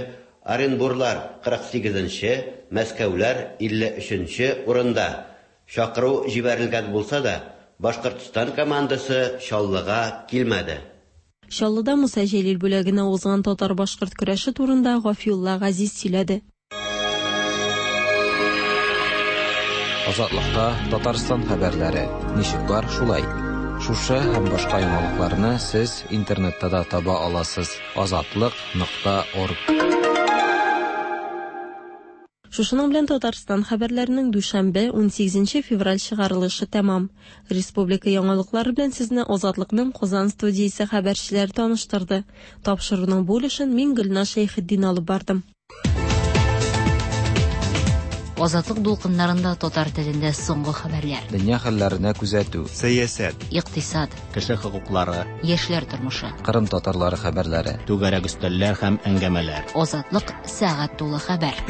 Оренбурлар 48 нче, Мәскәүләр 53 нче урында. Чакыру җибәрелгән булса да, Башкортстан командасы Чаллыга килмәде. Чаллыда Муса Җәлил бүләгенә узган татар-башкорт көрәше турында Гафиулла Газиз сөйләде. Азатлыкта Татарстан хәбәрләре. Ничек бар, шулай. Шушы һәм башка яңалыкларны сез интернетта да таба аласыз: азатлык.орг. Шушының белән Татарстан хәбәрләренең дүшәмбе, 18 февраль чыгарылышы тәмам. Республика яңалыклары белән сезне Азатлыкның Казан студиясе хәбәрчеләре таныштырды. Тапшыруның бу өлешен мин Гөлназ Шәйхетдин алып бардым. Азатлык дулкыннарында татар телендә соңгы хәбәрләр. Дөнья хәлләренә күзәтү. Сәясәт. Икътисад. Кеше хокуклары. Яшьләр тормышы. Кырым татарлары хәбәрләре. Түгәрәк өстәлләр һәм әңгәмәләр. Азатлык сәгать тулы хәбәр.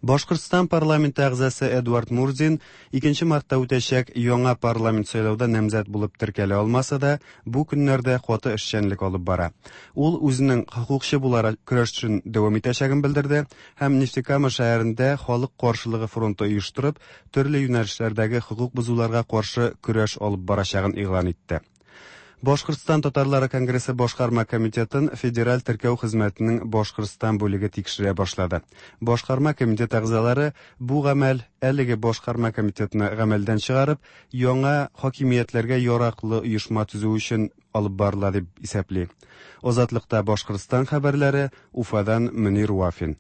Башкортстан парламенты әгъзасы Эдуард Мурзин 2 мартта үтәчәк яңа парламент сайлауда намзәт булып теркәлә алмаса да, бу көннәрдә каты эшчәнлек алып бара. Ул үзенең хокукчы буларак көрәшен дәвам итәчәген белдерде һәм Нефтекама шәһәрендә халык каршылыгы фронты оештырып, төрле юнәлешләрдәге хокук бозуларга каршы көрәш алып барачагын игълан итте. Башкортстан татарлары конгрессы башкарма комитетын Федераль теркәү хезмәтенең Башкортстан бүлеге тикшерә башлады. Башкарма комитет әгъзалары бу гамәл әлеге башкарма комитетны гамәлдән чыгарып, яңа хакимиятләргә яраклы оешма төзү өчен алып барыла дип исәпли. Азатлыкта Башкортстан хәбәрләре Уфадан Мөнир Вафин.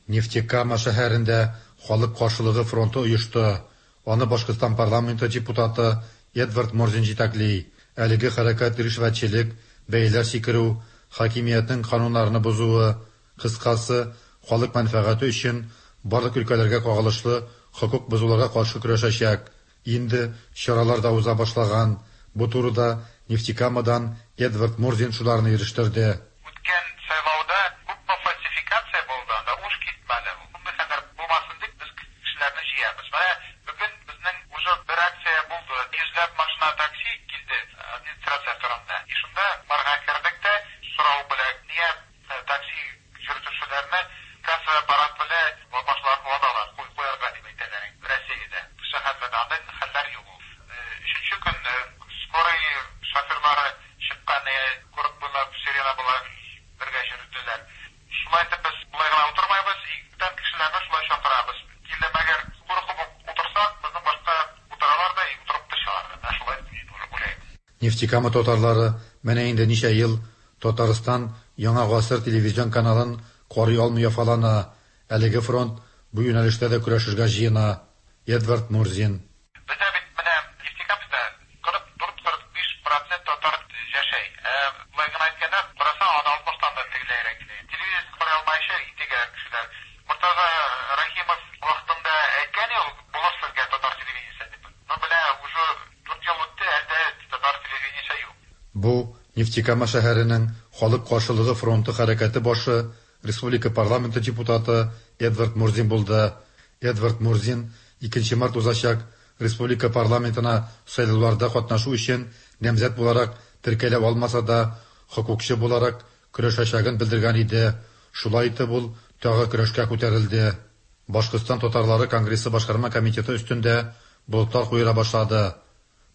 Нефтекама шәһәрендә халык каршылыгы фронты оешты. Аны Башкортстан парламенты депутаты Эдвард Мурзин җитәкли. Әлеге хәрәкәт ришвәтчелек, бәяләр сикерү, хакимиятнең кануннарны бозуы, кыскасы, халык мәнфәгате өчен барлык өлкәләргә кагылышлы хокук бозуларга каршы көрәшәчәк. Инде чаралар да уза башлаган. Бу турыда Нефтекамадан Эдвард Мурзин шуларны ирештерде. Үткән сайлауда күпме фальсификация булды, анда уш китмәде. Мондый хәлләр булмасын дип без кешеләрне җыябыз. Менә бүген безнең уже бер акция булды. Йөзләп машина такси килде администрация турында. И шунда барга кердек тә сорау белән, нигә такси йөртүчеләрне касса аппарат белән башларын ваталар, куярга дип әйтәләр. Россиядә шәһәрләрдә андый хәлләр юк. Өченче көн скорый шоферлары чыккан, город буйлап сирена була бергә йөрделәр. Шулай итеп без болай гына утырмайбыз, бүтән кешеләрне шулай чакырабыз. Килде мәгәр куркып утырсак, безнең башка утыралар да утырып та чыгалар. Менә шулай уйлыйм. Нефтекама татарлары менә инде ничә ел Татарстан Яңа гасыр телевизион каналын карый алмый яфалана. Әлеге фронт бу юнәлештә дә көрәшергә җыена. Эдвард Мурзин. Бездә бит менә Нефтекамскта 44-45% татар яшәй. Болай гына әйткәндә, карасаң, аны 60-тан да тегеләйрәк килә. Телевизор карый алмаенча интегә кешеләр. Мортаза Рахимов вакытында әйткән ул, булыр сезгә татар телевидениесе дип. Но менә уже 4 ел үтте, әле татар телевидениесе юк. Бу Нефтекама шәһәренең халык каршылыгы фронты хәрәкәте башы, республика парламенты депутаты Эдвард Мурзин булды. Эдвард Мурзин 2 март узачак республика парламентына сайлауларда катнашу өчен намзәт буларак теркәлә алмаса да, хокукчы буларак көрәшәчәген белдергән иде. Шулай итеп ул тагы көрәшкә күтәрелде. Башкортстан татарлары конгрессы башкарма комитеты өстендә болытлар куера башлады.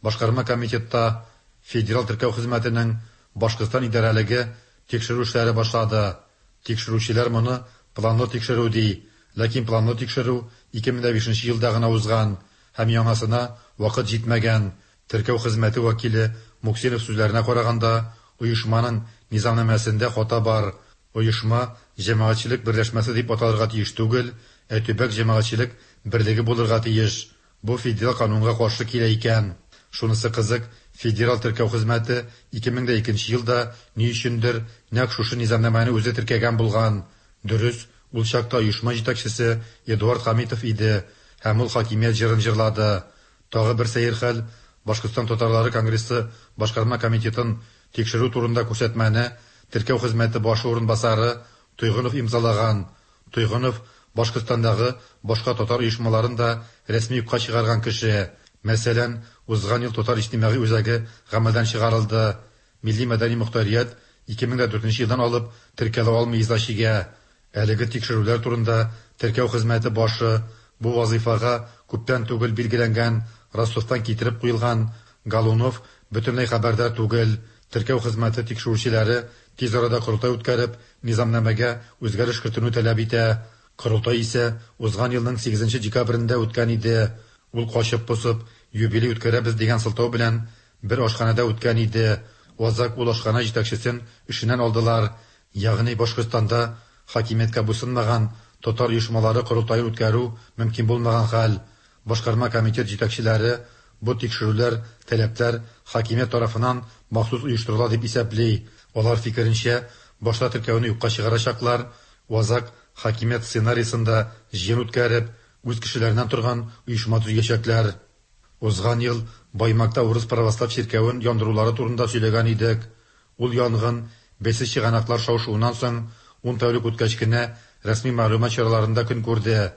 Башкарма комитетта Федераль теркәү хезмәтенең Башкортстан идарәлеге тикшерү эшләре башлады. Тикшерүчеләр моны планлы тикшерү ди. Ләкин планлы тикшерү 2005 елда гына узган һәм яңасына вакыт җитмәгән. Теркәү хезмәте вәкиле Муксинов сүзләренә караганда, оешманың низамнамәсендә хата бар. Оешма җәмәгатьчелек берләшмәсе дип аталырга тиеш түгел, ә төбәк җәмәгатьчелек берлеге булырга тиеш. Бу федераль канунга каршы килә икән. Шунысы кызык, Федераль теркәү хезмәте 2002 елда ни өчендер нәкъ шушы низамнамәне үзе теркәгән булган. Дөрес, ул чакта оешма җитәкчесе Эдуард Хамитов иде һәм ул хакимият җырын җырлады. Тагы бер сәер хәл, Башкортстан татарлары конгрессы башкарма комитетын тикшерү турында күрсәтмәне теркәү хезмәте башы урынбасары Тойгынов имзалаган. Тойгынов Башкортстандагы башка татар оешмаларын да рәсми юкка чыгарган кеше. Мәсәлән, узган ел Татар иҗтимагый үзәге гамәлдән чыгарылды. Милли-мәдәни мохтарият 2004 елдан алып теркәлә алмый иза чигә. Әлеге тикшерүләр турында теркәү хезмәте башы, бу вазыйфага күптән түгел билгеләнгән, Ростовтан китереп куелган Голунов бөтенләй хәбәрдар түгел. Теркәү хезмәте тикшерүчеләре тиз арада корылтай үткәреп, низамнамәгә үзгәреш кертүне таләп итә. Корылтай исә узган елның сигезенче декабрендә үткән иде. Ул качып-посып, юбилей үткәрәбез дигән сылтау белән бер ашханәдә үткән иде. Азак ул ашханә җитәкчесен эшеннән алдылар. Ягъни Башкортстанда хакимияткә буйсынмаган татар оешмалары корылтаен үткәрү мөмкин булмаган хәл. Башкарма комитет җитәкчеләре бу тикшерүләр, таләпләр хакимият тарафыннан махсус оештырыла дип исәпли. Алар фикеренчә, башта теркәүне юкка чыгарачаклар, азак хакимият сценарийсында җыен үткәреп, үз кешеләреннән торган оешма төзиячәкләр. Узган ел Баймакта урыс православ чиркәвен яндырулары турында сөйләгән идек. Ул янгын бәйсез чыганаклар шау-шуыннан соң ун тәүлек үткәч кенә рәсми мәгълүмат чараларында көн күрде.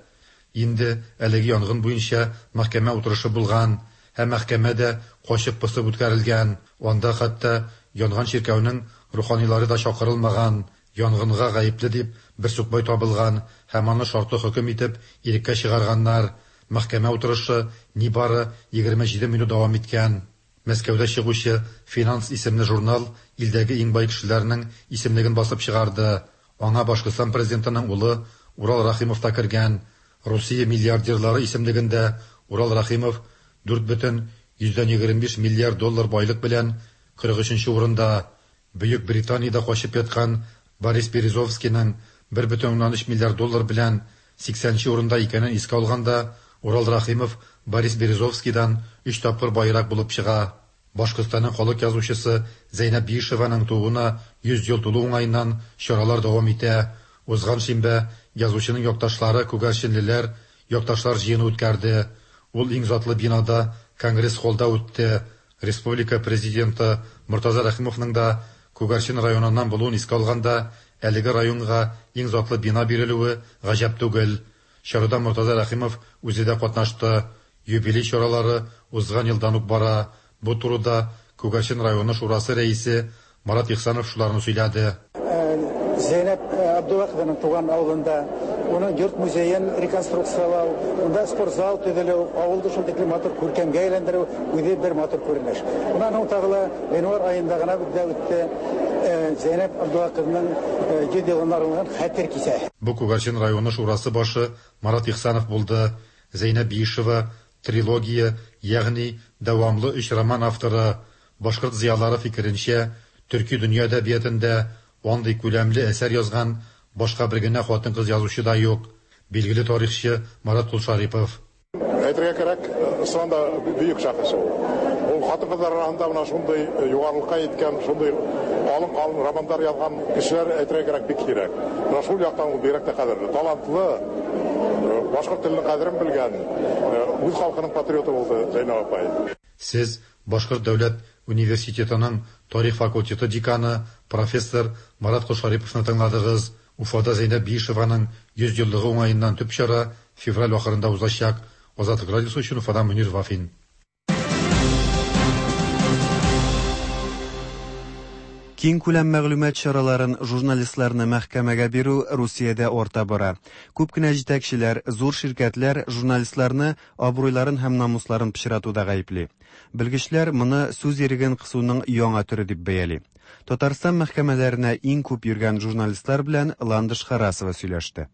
Инде әлеге янгын буенча мәхкәмә утырышы булган һәм мәхкәмә дә качып-посып үткәрелгән. Анда хәтта янган чиркәүнең руханилары да чакырылмаган. Янгынга гаепле дип бер сукбай табылган һәм аны шартлы хөкем итеп иреккә чыгарганнар. Мәхкәмә утырышы нибары 27 минут дәвам иткән. Мәскәүдә чыгучы Финанс исемле журнал илдәге иң бай кешеләрнең исемлеген басып чыгарды. Аңа Башкортстан президентының улы Урал Рәхимов та кергән. Русия миллиардерлары исемлегендә Урал Рәхимов 4,25 миллиард доллар байлык белән 43 нче урында. Бөек Британиядә качып яткан Борис Березовскийның 1,3 миллиард доллар белән 80 нче урында икәнен искә алганда, Урал Рәхимов Борис Березовскийдан өч тапкыр баерак булып чыга. Башкортстанның халык язучысы Зәйнәб Биишеваның тууына 100 ел тулу уңаеннан чаралар дәвам итә. Узган шимбә язучының якташлары күгәрченлеләр якташлар җыены үткәрде. Ул иң затлы бинада, Конгресс-холлда үтте. Республика Президенты Мортаза Рәхимовның да Күгәрчен районыннан булуын искә алганда, әлеге районга иң затлы бина бирелүе гаҗәп түгел. Чарада Мортаза Рәхимов үзе дә катнашты. Юбилей чаралары узган елдан ук бара. Бу турыда Күгәрчен районы шурасы рәисе Марат Ихсанов шуларны сөйләде. Зәйнәб Абдулла кызының туган авылында уның йорт-музеен реконструкцияләү, унда спортзал төзелү, авылды шул тиклем матур күркәмгә әйләндерү үзе бер матур күренеш. Уннан һуң тагы ла гыйнвар аенда гына бездә үтте Зәйнәб Абдулла кызының 100 елына арналган хәтер кичәсе. Бу Күгәрчен районы шурасы башы Марат Ихсанов булды. Зәйнәб Биишева, трилогия, ягъни дәвамлы өч роман авторы. Башкорт зыялылары фикеренчә, төрки дөнья әдәбиятында андый күләмле әсәр язган башка бер генә хатын-кыз язучы да юк. Билгеле тарихчы Марат Колшарипов. Әйтергә кирәк, чыннан да бөек шәхес ул. Ул хатын-кызлар арасында менә шундый югарылыкка җиткән, шундый калын-калын романнар язган кешеләр, әйтергә кирәк, бик сирәк. Менә шул яктан ул бигрәк тә кадерле. Талантлы, башкорт теленең кадерен белгән, үз халкының патриоты булды Зәйнәб апай. Сез Башкорт дәүләт университетының тарих факультеты деканы, профессор Марат Колшариповны тыңладыгыз. Уфада Зәйнәб Биишеваның 100 еллыгы уңаеннан төп чара февраль ахырында узачак. Азатлык радиосы өчен Уфадан Мөнир Вафин. Киңкүләм мәгълүмат чараларын, журналистларны мәхкәмәгә бирү Русиядә арта бара. Күп кенә җитәкчеләр, зур ширкәтләр журналистларны абруйларын һәм намусларын пычратуда гаепли. Белгечләр моны сүз иреген кысуның яңа төре дип бәяли. Татарстан мәхкәмәләренә иң күп йөргән журналистлар белән Ландыш Харасова сөйләште.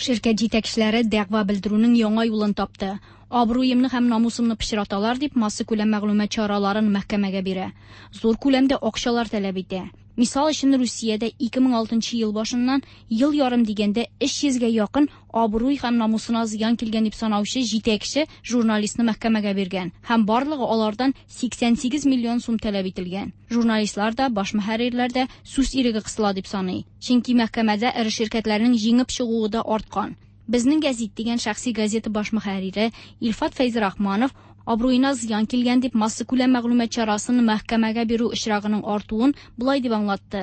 Ширкәт җитәкчеләре дәгъва белдерүнең яңа юлын тапты. Абруемны һәм намусымны пычраталар дип, массакүләм мәгълүмат чараларын мәхкәмәгә бирә. Зур күләмдә акчалар таләп итә. Мисал өчен, Русиядә 2006 нчы ел башыннан ел ярым дигәндә 300 гә якын абруй һәм намусына зыян килгән дип санаучы җитәкче журналистны мәхкәмәгә биргән һәм барлыгы алардан 88 миллион сум таләп ителгән. Журналистлар да, баш мөхәррирләр дә сүз иреге кысыла дип саный. Чөнки мәхкәмәдә эре ширкәтләрнең җиңеп чыгуы да арткан. Безнең гәзит дигән шәхси газета баш мөхәррире Илфат Фәйзрахманов абруена зыян килгән дип массакүләм мәгълүмат чарасын мәхкәмәгә бирү очрагының артуын болай дип аңлатты.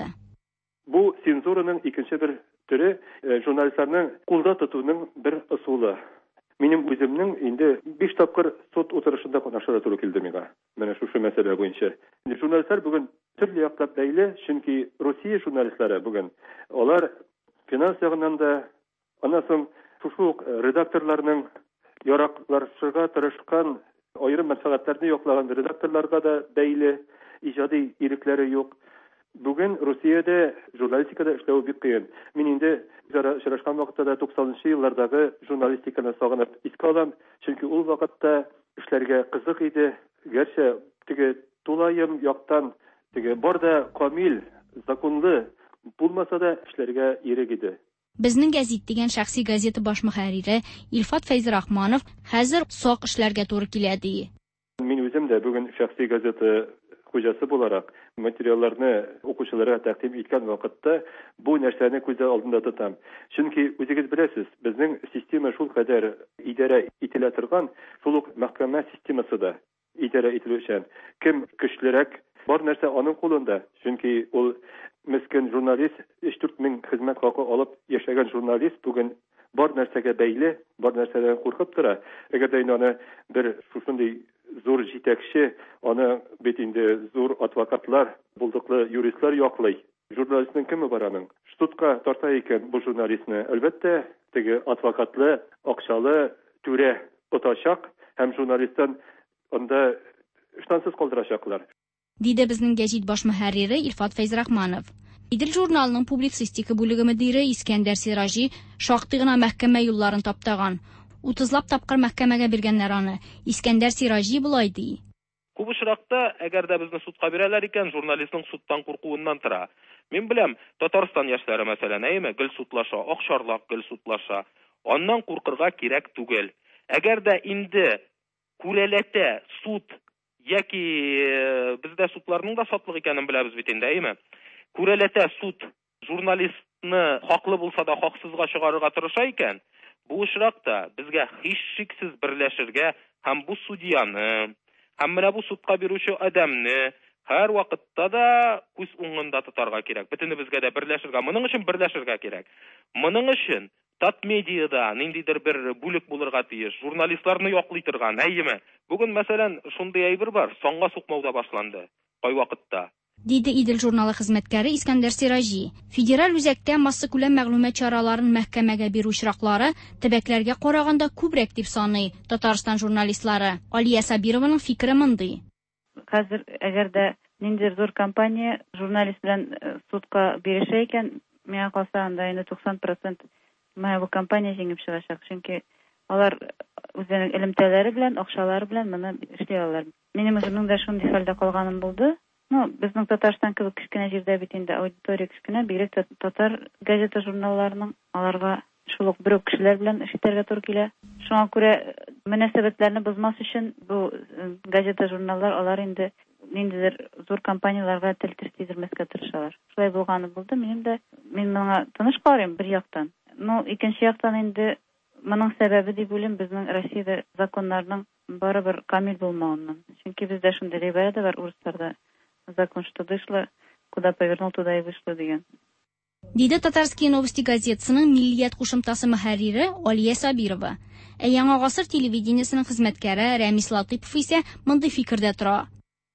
Бу цензураның икенче бер төре журналистларны кулда тотуның бер ысулы. Минем үземнең инде 5 тапкыр суд утырышында катнашырга туры килде миңа. Менә шушы мәсьәлә буенча. Инде журналистлар бүген төрле яклап бәйле, чөнки Русия журналистлары бүген алар финанс ягыннан да, аннан соң шушы ук редакторларның яраклашырга тырышкан аерым мәнфәгатьләрне яклаган редакторларга да бәйле, иҗади ирекләре юк. Бүген Русиядә журналистикада эшләү бик кыен. Мин инде үзара очрашкан вакытта да 90 еллардагы журналистиканы сагынып искә алам, чөнки ул вакытта эшләргә кызык иде. Гәрчә теге тулаем яктан теге бар да камил, законлы булмаса да эшләргә ирек иде. Безнең гәзит дигән шәхси газета баш мөхәррире Илфат Фәйзрахманов хәзер сак эшләргә туры килә ди. Мин үзем дә бүген шәхси газета хуҗасы буларак материалларны укучыларга тәкъдим иткән вакытта бу нәрсәне күз алдында тотам. Чөнки үзегез беләсез, безнең система шул кадәр идарә ителә торган, шул ук мәхкәмә системасы да идарә ителүчән. Кем көчлерәк, бар нәрсә аның кулында. Чөнки ул мескен журналист, 3-4 мең хезмәт хакы алып яшәгән журналист бүген бар нәрсәгә бәйле, бар нәрсәдән куркып тора. Әгәр дә инде аны бер шушындый зур җитәкче, аны бит инде зур адвокатлар, булдыклы юристлар яклый. Журналистның кеме бар аның? Судка тарта икән бу журналистны, әлбәттә, теге адвокатлы, акчалы түрә отачак һәм журналисттан анда ыштансыз калдырачаклар. Диде безнең гәзит баш мөхәррире Илфат Фәйзрахманов. Идел журналының публицистика бүлеге мөдире Искәндәр Сираҗи шактый гына мәхкәмә юлларын таптаган. 30лап тапкыр мәхкәмәгә биргәннәр аны. Искәндәр Сираҗи болай ди. Күп очракта, әгәр дә безне судка бирәләр икән, журналистның судтан куркуыннан тора. Мин беләм, Татарстан яшьләре мәсәлән, әйеме, гел судлаша, Акчарлак гел судлаша. Аннан куркырга кирәк түгел. Әгәр дә инде күрәләтә суд яки бездә судларның да сатлык икәнен беләбез бит инде, әйеме? Күрәләтә суд журналистны хаклы булса да хаксызга чыгарырга тырыша икән, бу очракта безгә һичшиксез берләшергә һәм бу судьяны, һәм менә бу судка бирүче адәмне һәр вакытта да күз уңында тотарга кирәк. Бөтенебезгә дә берләшергә, моның өчен берләшергә кирәк. Моның өчен Татмедиада ниндидер бер бүлек булырга тиеш, журналистларны яклый торган, әйеме? Бүген, мәсәлән, шундый әйбер бар, санга сукмау да башланды кайвакытта. Диде Идел журналы хезмәткәре Искәндәр Сираҗи. Федераль үзәктә массакүләм мәгълүмат чараларын мәхкәмәгә бирү очраклары төбәкләргә караганда күбрәк дип саный Татарстан журналистлары. Алия Сабированың фикере мондый. Хәзер әгәр дә ниндидер зур компания журналист белән судка бирешә икән, миңа калса анда инде 90% менә бу компания җиңеп чыгачак. Чөнки алар үзләренең элемтәләре белән, акчалары белән моны эшли алалар. Минем үземнең дә шундый хәлдә калганым булды. Ну, безнең Татарстан кебек кечкенә җирдә бит инде аудитория кечкенә, бигрәк тә татар газета журналларының аларга шул ук бер үк кешеләр белән эш итәргә туры килә. Шуңа күрә мөнәсәбәтләрне бозмас өчен бу газета журналлар алар инде ниндидер зур компанияләргә тел теш тидермәскә тырышалар. Шулай булганы булды. Минем дә мин моңа тыныч карыйм бер яктан. Ну, икенче яктан инде моның сәбәбе дип уйлыйм безнең Россиядә законнарның барыбер камил булмавыннан. Чөнки бездә шундый гыйбарә дә бар урысларда. Закон что дышло, куда повернул, туда и вышло дигән. Диде Татарские новости газетасының Миллият кушымтасы мөхәррире Алия Сабирова. Ә Яңа гасыр телевидениесының хезмәткәре Рәмис Латыпов исә мондый фикердә тора.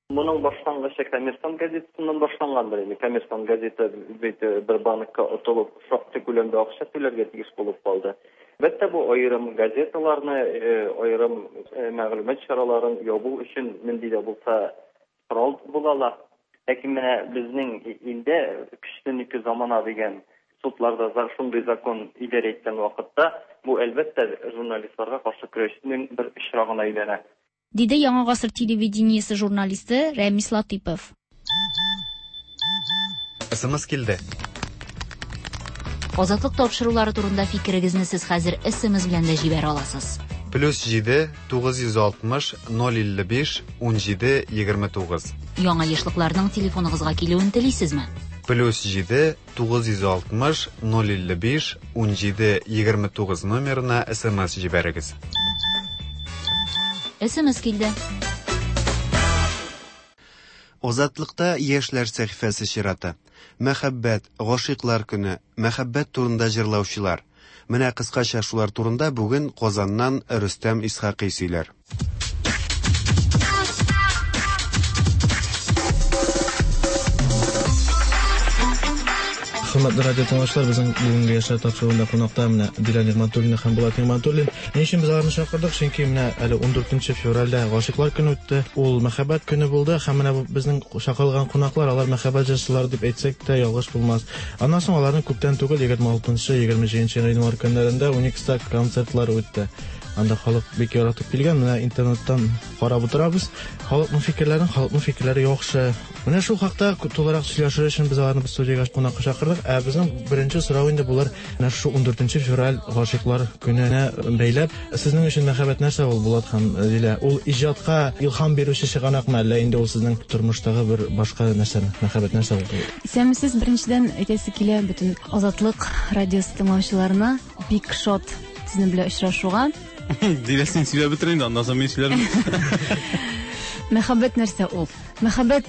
Моның башлангычы Коммерсант газетасыннан башлангандыр инде. Коммерсант газета бит бер банкка отылып, шактый күләмдә акча түләргә тиеш булып калды. Әлбәттә, бу аерым газеталарны, аерым мәгълүмат чараларын ябу өчен нинди дә булса корал була ала. Ләкин менә безнең илдә көчленеке замана дигән судларда шундый закон идарә иткән вакытта бу әлбәттә журналистларга каршы көрәшнең бер очрагына әйләнә. Диде Яңа гасыр телевидениесе журналисты Рәмис Латыпов. СМС килде. Азатлык тапшырулары турында фикерегезне сез хәзер СМС белән дә җибәрә аласыз. Плюс 7 960 055 17 29. Яңа ешлыкларның телефоныгызга килүен телисезме? Плюс 7 960 055 17 29 номерына СМС җибәрегез. СМС килде. Азатлыкта яшьләр сәхифәсе чираты. Мәхәббәт, гашыйклар көне, мәхәббәт турында җырлаучылар. Менә кыскача шулар турында бүген Казаннан Рөстәм Исхакый сөйләр. Хөрмәтле радио тыңлаучылар, безнең бүгенге яшьләр тапшыруында кунакта менә Дилә Нигъмәтуллина һәм Булат Нигъмәтуллин. Ни өчен без аларны чакырдык? Чөнки менә әле 14 февральдә гашыйклар көне үтте. Ул мәхәббәт көне булды һәм менә бу безнең чакырылган кунаклар, алар мәхәббәт җырчылары дип әйтсәк тә ялгыш булмас. Аннан соң аларның күптән түгел 26-27 гыйнвар көннәрендә Уникста концертлары үтте. Анда халык бик яратып килгән. Менә интернеттан карап утырабыз. Халыкның фикерләрен, халыкның фикерләре яхшы. Менә шул хакта тулырак сөйләшер өчен без аларны студиягә кунакка чакырдык. Ә безнең беренче сорау инде булыр, менә шушы 14 февраль гашыйклар көненә бәйләп, сезнең өчен мәхәббәт нәрсә ул, Булат һәм Дилә? Ул иҗатка илһам бирүче чыганакмы, әллә инде ул сезнең тормыштагы бер башка нәрсәме? Мәхәббәт нәрсә ул? Исәнмесез, беренчедән әйтәсе килә бөтен Азатлык радиосы тыңлаучыларына бик шат сезнең белән очрашуга. Дилә, син сөйләп бетер инде, аннан соң мин сөйләрмен. Мәхәббәт нәрсә ул? Мәхәббәт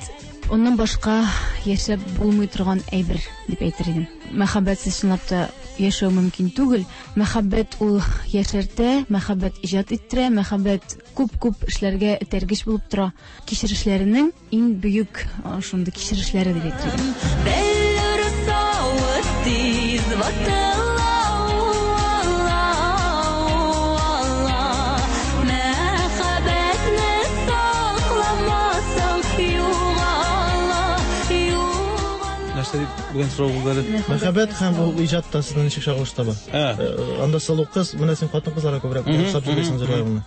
оннан башка яшәп булмый торган әйбер дип әйтер идем. Мәхәббәтсез чынлап та яшәү мөмкин түгел. Мәхәббәт ул яшәртә, мәхәббәт иҗат иттерә, мәхәббәт күп-күп эшләргә этәргеч булып тора. Кичерешләренең иң бөек шундый кичерешләре дип әйтер идем. Бәллүр савыт тиз ватыла, уала, Мәхәббәтне сакламасаң, югала, югала. Нәрсә дип бүген сорау булды әле? Мәхәббәт һәм ул иҗатта сезнең ничек чагылыш таба? Анда сылу кыз, менә син хатын-кызларга күбрәк охшап җырлыйсың җырларыңны.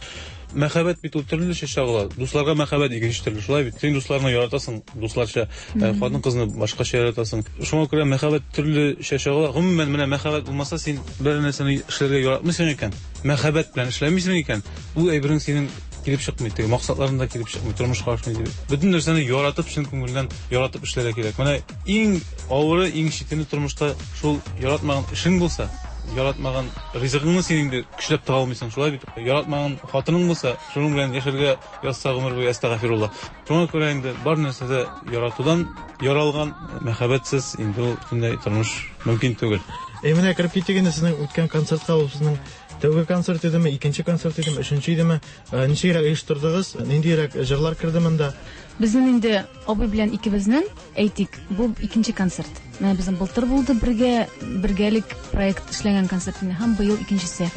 Мәхәббәт бит ул төрлечә чагыла. Дусларга мәхәббәт икенче төрле, шулай бит. Син дусларны яратасың, дусларча, хатын-кызны башкача яратасың. Шуңа күрә мәхәббәт төрлечә чагыла. Гомумән, менә мәхәббәт булмаса, син бер нәрсәне эшләргә яратмыйсың икән, мәхәббәт белән эшләмисең икән, ул әйберең синең килеп чыкмый, теге максатларың да килеп чыкмый, тормышка ашмый дип. Бөтен нәрсәне яратып, чын күңелдән яратып эшләргә кирәк. Менә иң авыры, иң читене тормышта шул яратмаган эшең булса, яратмаган ризыгыңны син инде көчләп таба алмыйсың, шулай бит. Яратмаган хатының булса, шуның белән яшәргә язса гомер буе, әстәгафирулла. Шуңа күрә инде бар нәрсә дә яратудан яралган, мәхәббәтсез инде ул бөтенләй тормыш мөмкин түгел. Әй, менә кереп китик инде сезнең үткән концертка, ул сезнең тәүге концерт идеме, икенче концерт идеме, өченче идеме? Ничегрәк оештырдыгыз? Ниндирәк җырлар керде монда? Безнең инде абый белән икебезнең, әйтик, бу икенче концерт. Менә безнең былтыр булды бергә, бергәлек проект эшләгән концерт инде, һәм быел икенчесе.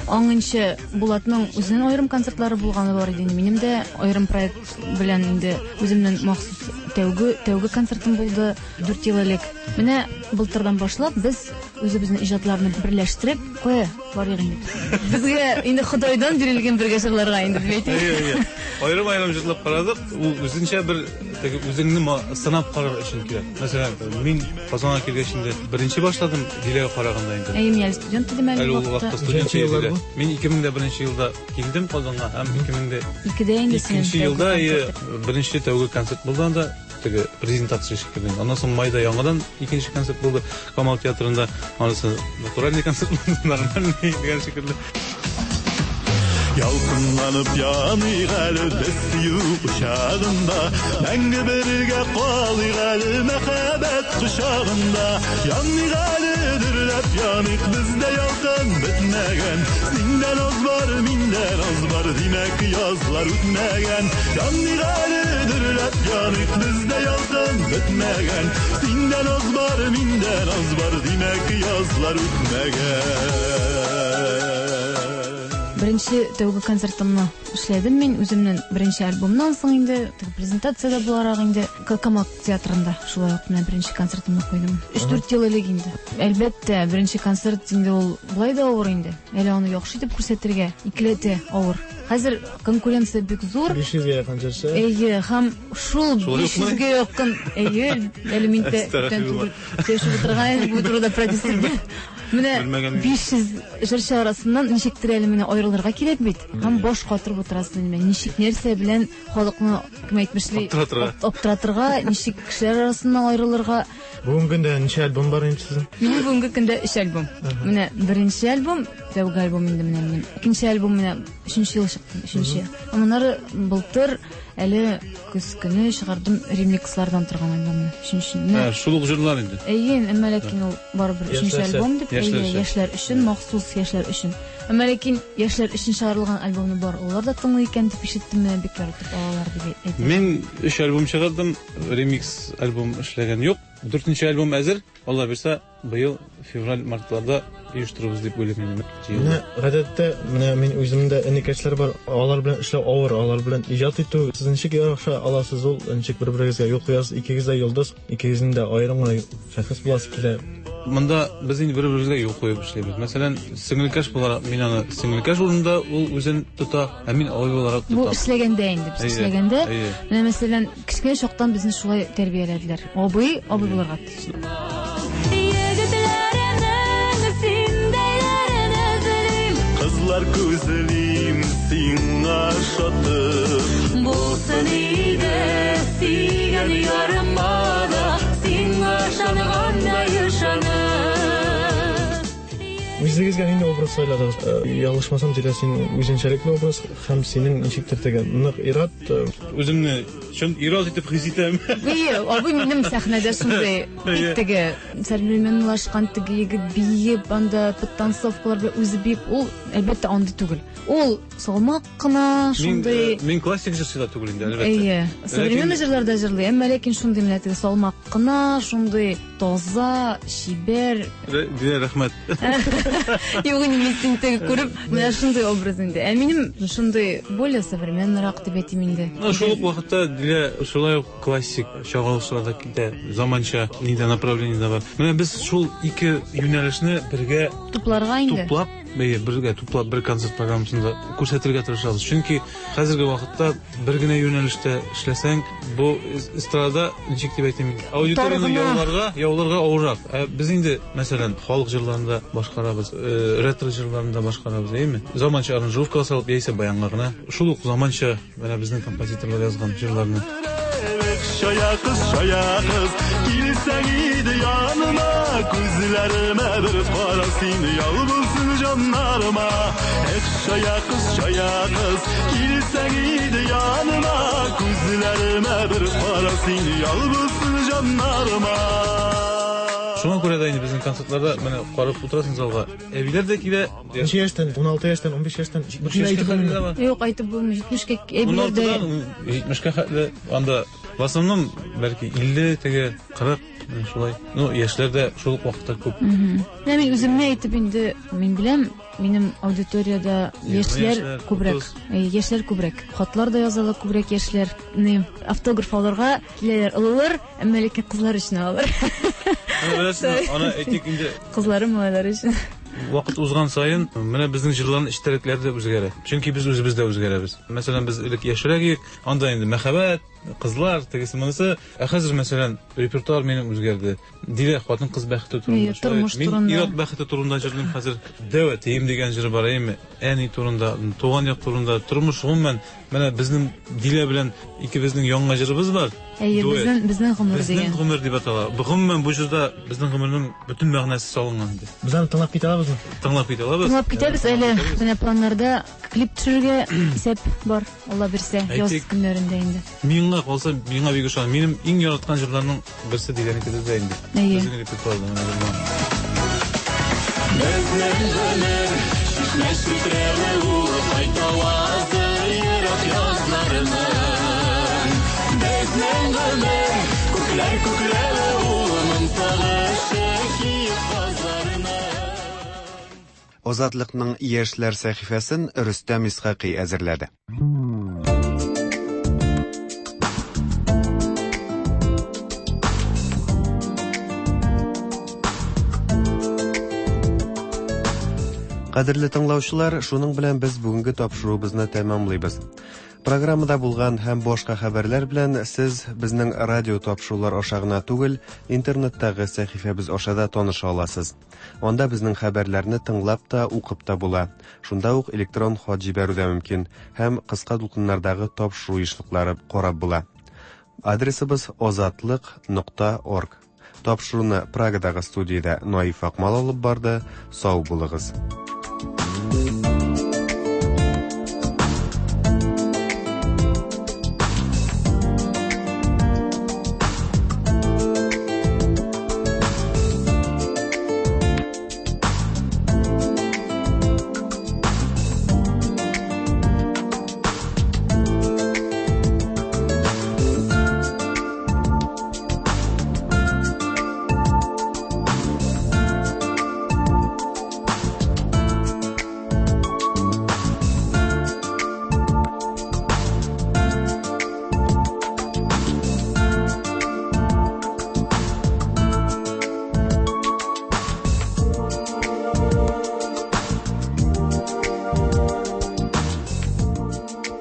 Аңынчы Булатның үзенең аерым концертлары булганы бар иде инде. Минем дә аерым проект белән инде үземнең махсус тәүге, тәүге концертым булды 4 ел элек. Менә былтырдан башлап без үзебезнең иҗатларны берләштереп, кая барыйк инде. Безгә инде Ходайдан бирелгән бергә җырларга инде дип әйтик. Әйе, әйе. Аерым-аерым җырлап карадык. Ул үзенчә бер теге үзеңне сынап карар өчен кирәк. Мәсәлән, мин Казанга килгәч инде беренче башладым Диләгә караганда инде. Әйе, мин әле студент идем әле Әле ул вакытта студент иде. Мин 2001 елда килдем Казанга һәм 2002-дә инде синең икенче елда беренче тәүге концерт булды анда. Теге презентация шикелле. Аннан соң майда яңадан икенче концерт булды Камал театрында. Анысы натуральный концерт булды, нормальный дигән шикелле. Ялкынланып яныйк әле без сөю учагында, мәңге бергә калыйк әле мәхәббәт кочагында. Яныйк әле, дөрләп яныйк, бездә ялкын бетмәгән. Синдә наз бар, миндә наз бар, димәк язлар үтмәгән. Яныйк әле, дөрләп яныйк, бездә ялкын бетмәгән. Синдә наз бар, миндә наз бар, димәк язлар үтмәгән. Беренче тәүге концертымны эшләдем мин үземнең беренче альбомнан соң инде, теге презентация дә буларак инде Камал театрында шулай ук менә беренче концертымны куйдым. Өч-дүрт ел элек инде. Әлбәттә, беренче концерт инде ул болай да авыр инде. Әле аны яхшы итеп күрсәтергә икеләтә авыр. Хәзер конкуренция бик зур. 500 гә якын җырчы. Әйе, һәм шул Шулай укмы? 500 гә якын, әйе, әле мин дә күптән түгел сөйләшеп утырган идем бу турыда продюсер белән. Менә Белмәгән 500 җырчы арасыннан ничектер әле менә аерылырга кирәк бит. Һәм баш катырып утырасың инде. Ничек нәрсә белән халыкны, кем әйтмешли, Аптыратырга. аптыратырга, ничек кешеләр арасыннан аерылырга. Бүгенге көндә ничә альбом бар инде сезнең? Минем бүгенге көндә 3 альбом. Менә беренче альбом Тәүге альбом инде менә минем. Икенче альбом менә өченче ел чыкты, өченче. Моннары былтыр әле көз көне чыгардым ремикслардан торган альбомны. Өченче. Ә, шул ук җырлар инде. Әйе, әмма ләкин ул барыбер өченче альбом дип, әйе, яшьләр өчен, махсус яшьләр өчен. Әмма ләкин яшьләр өчен чыгарылган альбомны бар олылар да тыңлый икән дип ишеттем, менә бик яратып алалар дип әйтә. Мин өч альбом чыгардым, ремикс альбом эшләгән юк. Дүртенче альбом әзер, Алла бирсә, быел февраль-мартларда оештырырбыз дип уйлыйм инде. Менә гадәттә, менә мин үземдә энекәшләр бар, алар белән эшләү авыр, алар белән иҗат итү. Сез ничек яраша аласыз ул, ничек бер-берегезгә юл куясыз, икегез дә йолдыз, икегезнең дә аерым гына шәхес буласы килә. Монда без инде бер-беребезгә юл куеп эшлибез. Мәсәлән, сеңелкәш буларак мин аны сеңелкәш урынында ул үзен тота, ә мин абый буларак тотам. Бу эшләгәндә инде, без эшләгәндә. Менә мәсәлән, кечкенә чактан безне шулай тәрбияләделәр. Абый, абый булырга тиеш. Егетләренең синдәйләрен эзлим. Кызлар күзлим сиңа шатып. Булсын иде сөйгән ярыма да сиңа ышангандай ышанып. Үзегезгә нинди образ сайладыгыз? Ялгышмасам, Зилә, син үзенчәлекле образ һәм синең ничектер теге нык ир-ат. Үземне чын ир-ат итеп хис итәм. Әйе, абый минем сәхнәдә шундый бик теге современлашкан теге егет биеп, анда подтанцовкалар белән үзе биеп, ул әлбәттә андый түгел. Ул салмак кына шундый. Мин классик җырчы да түгел инде, әлбәттә. Әйе, современный җырлар да җырлый, әмма ләкин шундый менә теге салмак кына, шундый таза, чибәр. Дилә, рәхмәт. Юк, инде мин сине теге күреп, менә шундый образ инде. Ә минем шундый более современныйрак дип әйтим инде. Ну, шул ук вакытта Дилә шулай ук классик чагылышлар да китә, заманча нидә направление дә бар. Менә без шул ике юнәлешне бергә тупларга инде. Туплап, әйе, бергә туплап бер концерт программасында күрсәтергә тырышабыз. Чөнки хәзерге вакытта бер генә юнәлештә эшләсәң, бу эстрада, ничек дип әйтим, аудиторияне яуларга, яуларга авыррак. Ә без инде, мәсәлән, халык җырларын да башкарабыз, ретро җырларын да башкарабыз, әйеме? Заманча аранжировкага салып, яисә баянга гына. Шул ук заманча менә безнең композиторлар язган җырларны. Чая кыз, чая кыз, килсәң иде яныма, күзләремә бер кара син, ял булсын җаннарыма. Эх, чая кыз, чая кыз, килсәң иде яныма, күзләремә бер кара син, ял булсын җаннарыма. Шуңа күрә дә инде безнең концертларда менә карап утырасың залга, әбиләр дә килә. Ничә яшьтән? 16 яшьтән, 15 яшьтән? Бөтенләй әйтеп булмый. Юк, әйтеп булмый. 70-кә әбиләр дә. 16-дан 70-кә хәтле анда в основном бәлки 50 теге 40 шулай. Ну, яшьләр дә шул ук вакытта күп. Менә мин үземне әйтеп инде, мин беләм, минем аудиториядә яшьләр күбрәк. Яшьләр күбрәк. Хатлар да язалар күбрәк яшьләр. Ни, автограф алырга киләләр олылар, әмма ләкин кызлар өчен алалар. Беләсезме, аны әйтик инде. Кызлары, малайлары өчен. Вакыт узган саен менә безнең җырларның эчтәлекләре дә үзгәрә. Чөнки без үзебез дә үзгәрәбез. Мәсәлән, без элек яшьрәк идек, анда инде мәхәббәт, кызлар, тегесе монысы. Ә хәзер, мәсәлән, репертуар минем үзгәрде. Дилә хатын-кыз бәхете турында. Тормыш турында. Мин ир-ат бәхете турында җырлыйм хәзер. Дәү әтием дигән җыр бар, әйеме? Әни турында, туган як турында, тормыш гомумән. Менә безнең Дилә белән икебезнең яңа җырыбыз бар. Әйе, безнең безнең гомер дигән. Безнең гомер дип атала. Гомумән бу җырда безнең гомернең бөтен мәгънәсе салынган инде. Без аны тыңлап китә алабызмы? Тыңлап китә алабыз. Тыңлап китәбез әле. Менә планнарда клип төшерергә исәп бар, Алла бирсә, яз көннәрендә инде. Миңа калса, миңа бик ошаган. Минем иң яраткан җырларның берсе Диләнеке дә инде. Әйе. Безнең репертуарда менә җырлар. Безнең гомер чишмә челтерәве ул, кайтавазы ерак язларының. Безнең гомер күкләр күкрәве ул, моң сагышы киек казларының. Азатлыкның яшьләр сәхифәсен Рөстәм Исхакый әзерләде. Кадерле тыңлаучылар, шуның белән без бүгенге тапшыруыбызны тәмамлыйбыз. Программада булган һәм башка хәбәрләр белән сез безнең радио тапшырулар аша гына түгел, интернеттагы сәхифәбез аша да таныша аласыз. Анда безнең хәбәрләрне тыңлап та, укып та була. Шунда ук электрон хат җибәрү дә мөмкин һәм кыска дулкыннардагы тапшыру ешлыклары карап була. Адресыбыз азатлык нокта орг. Тапшыруны Прагадагы студиядә Наиф Акмал алып барды. Сау булыгыз.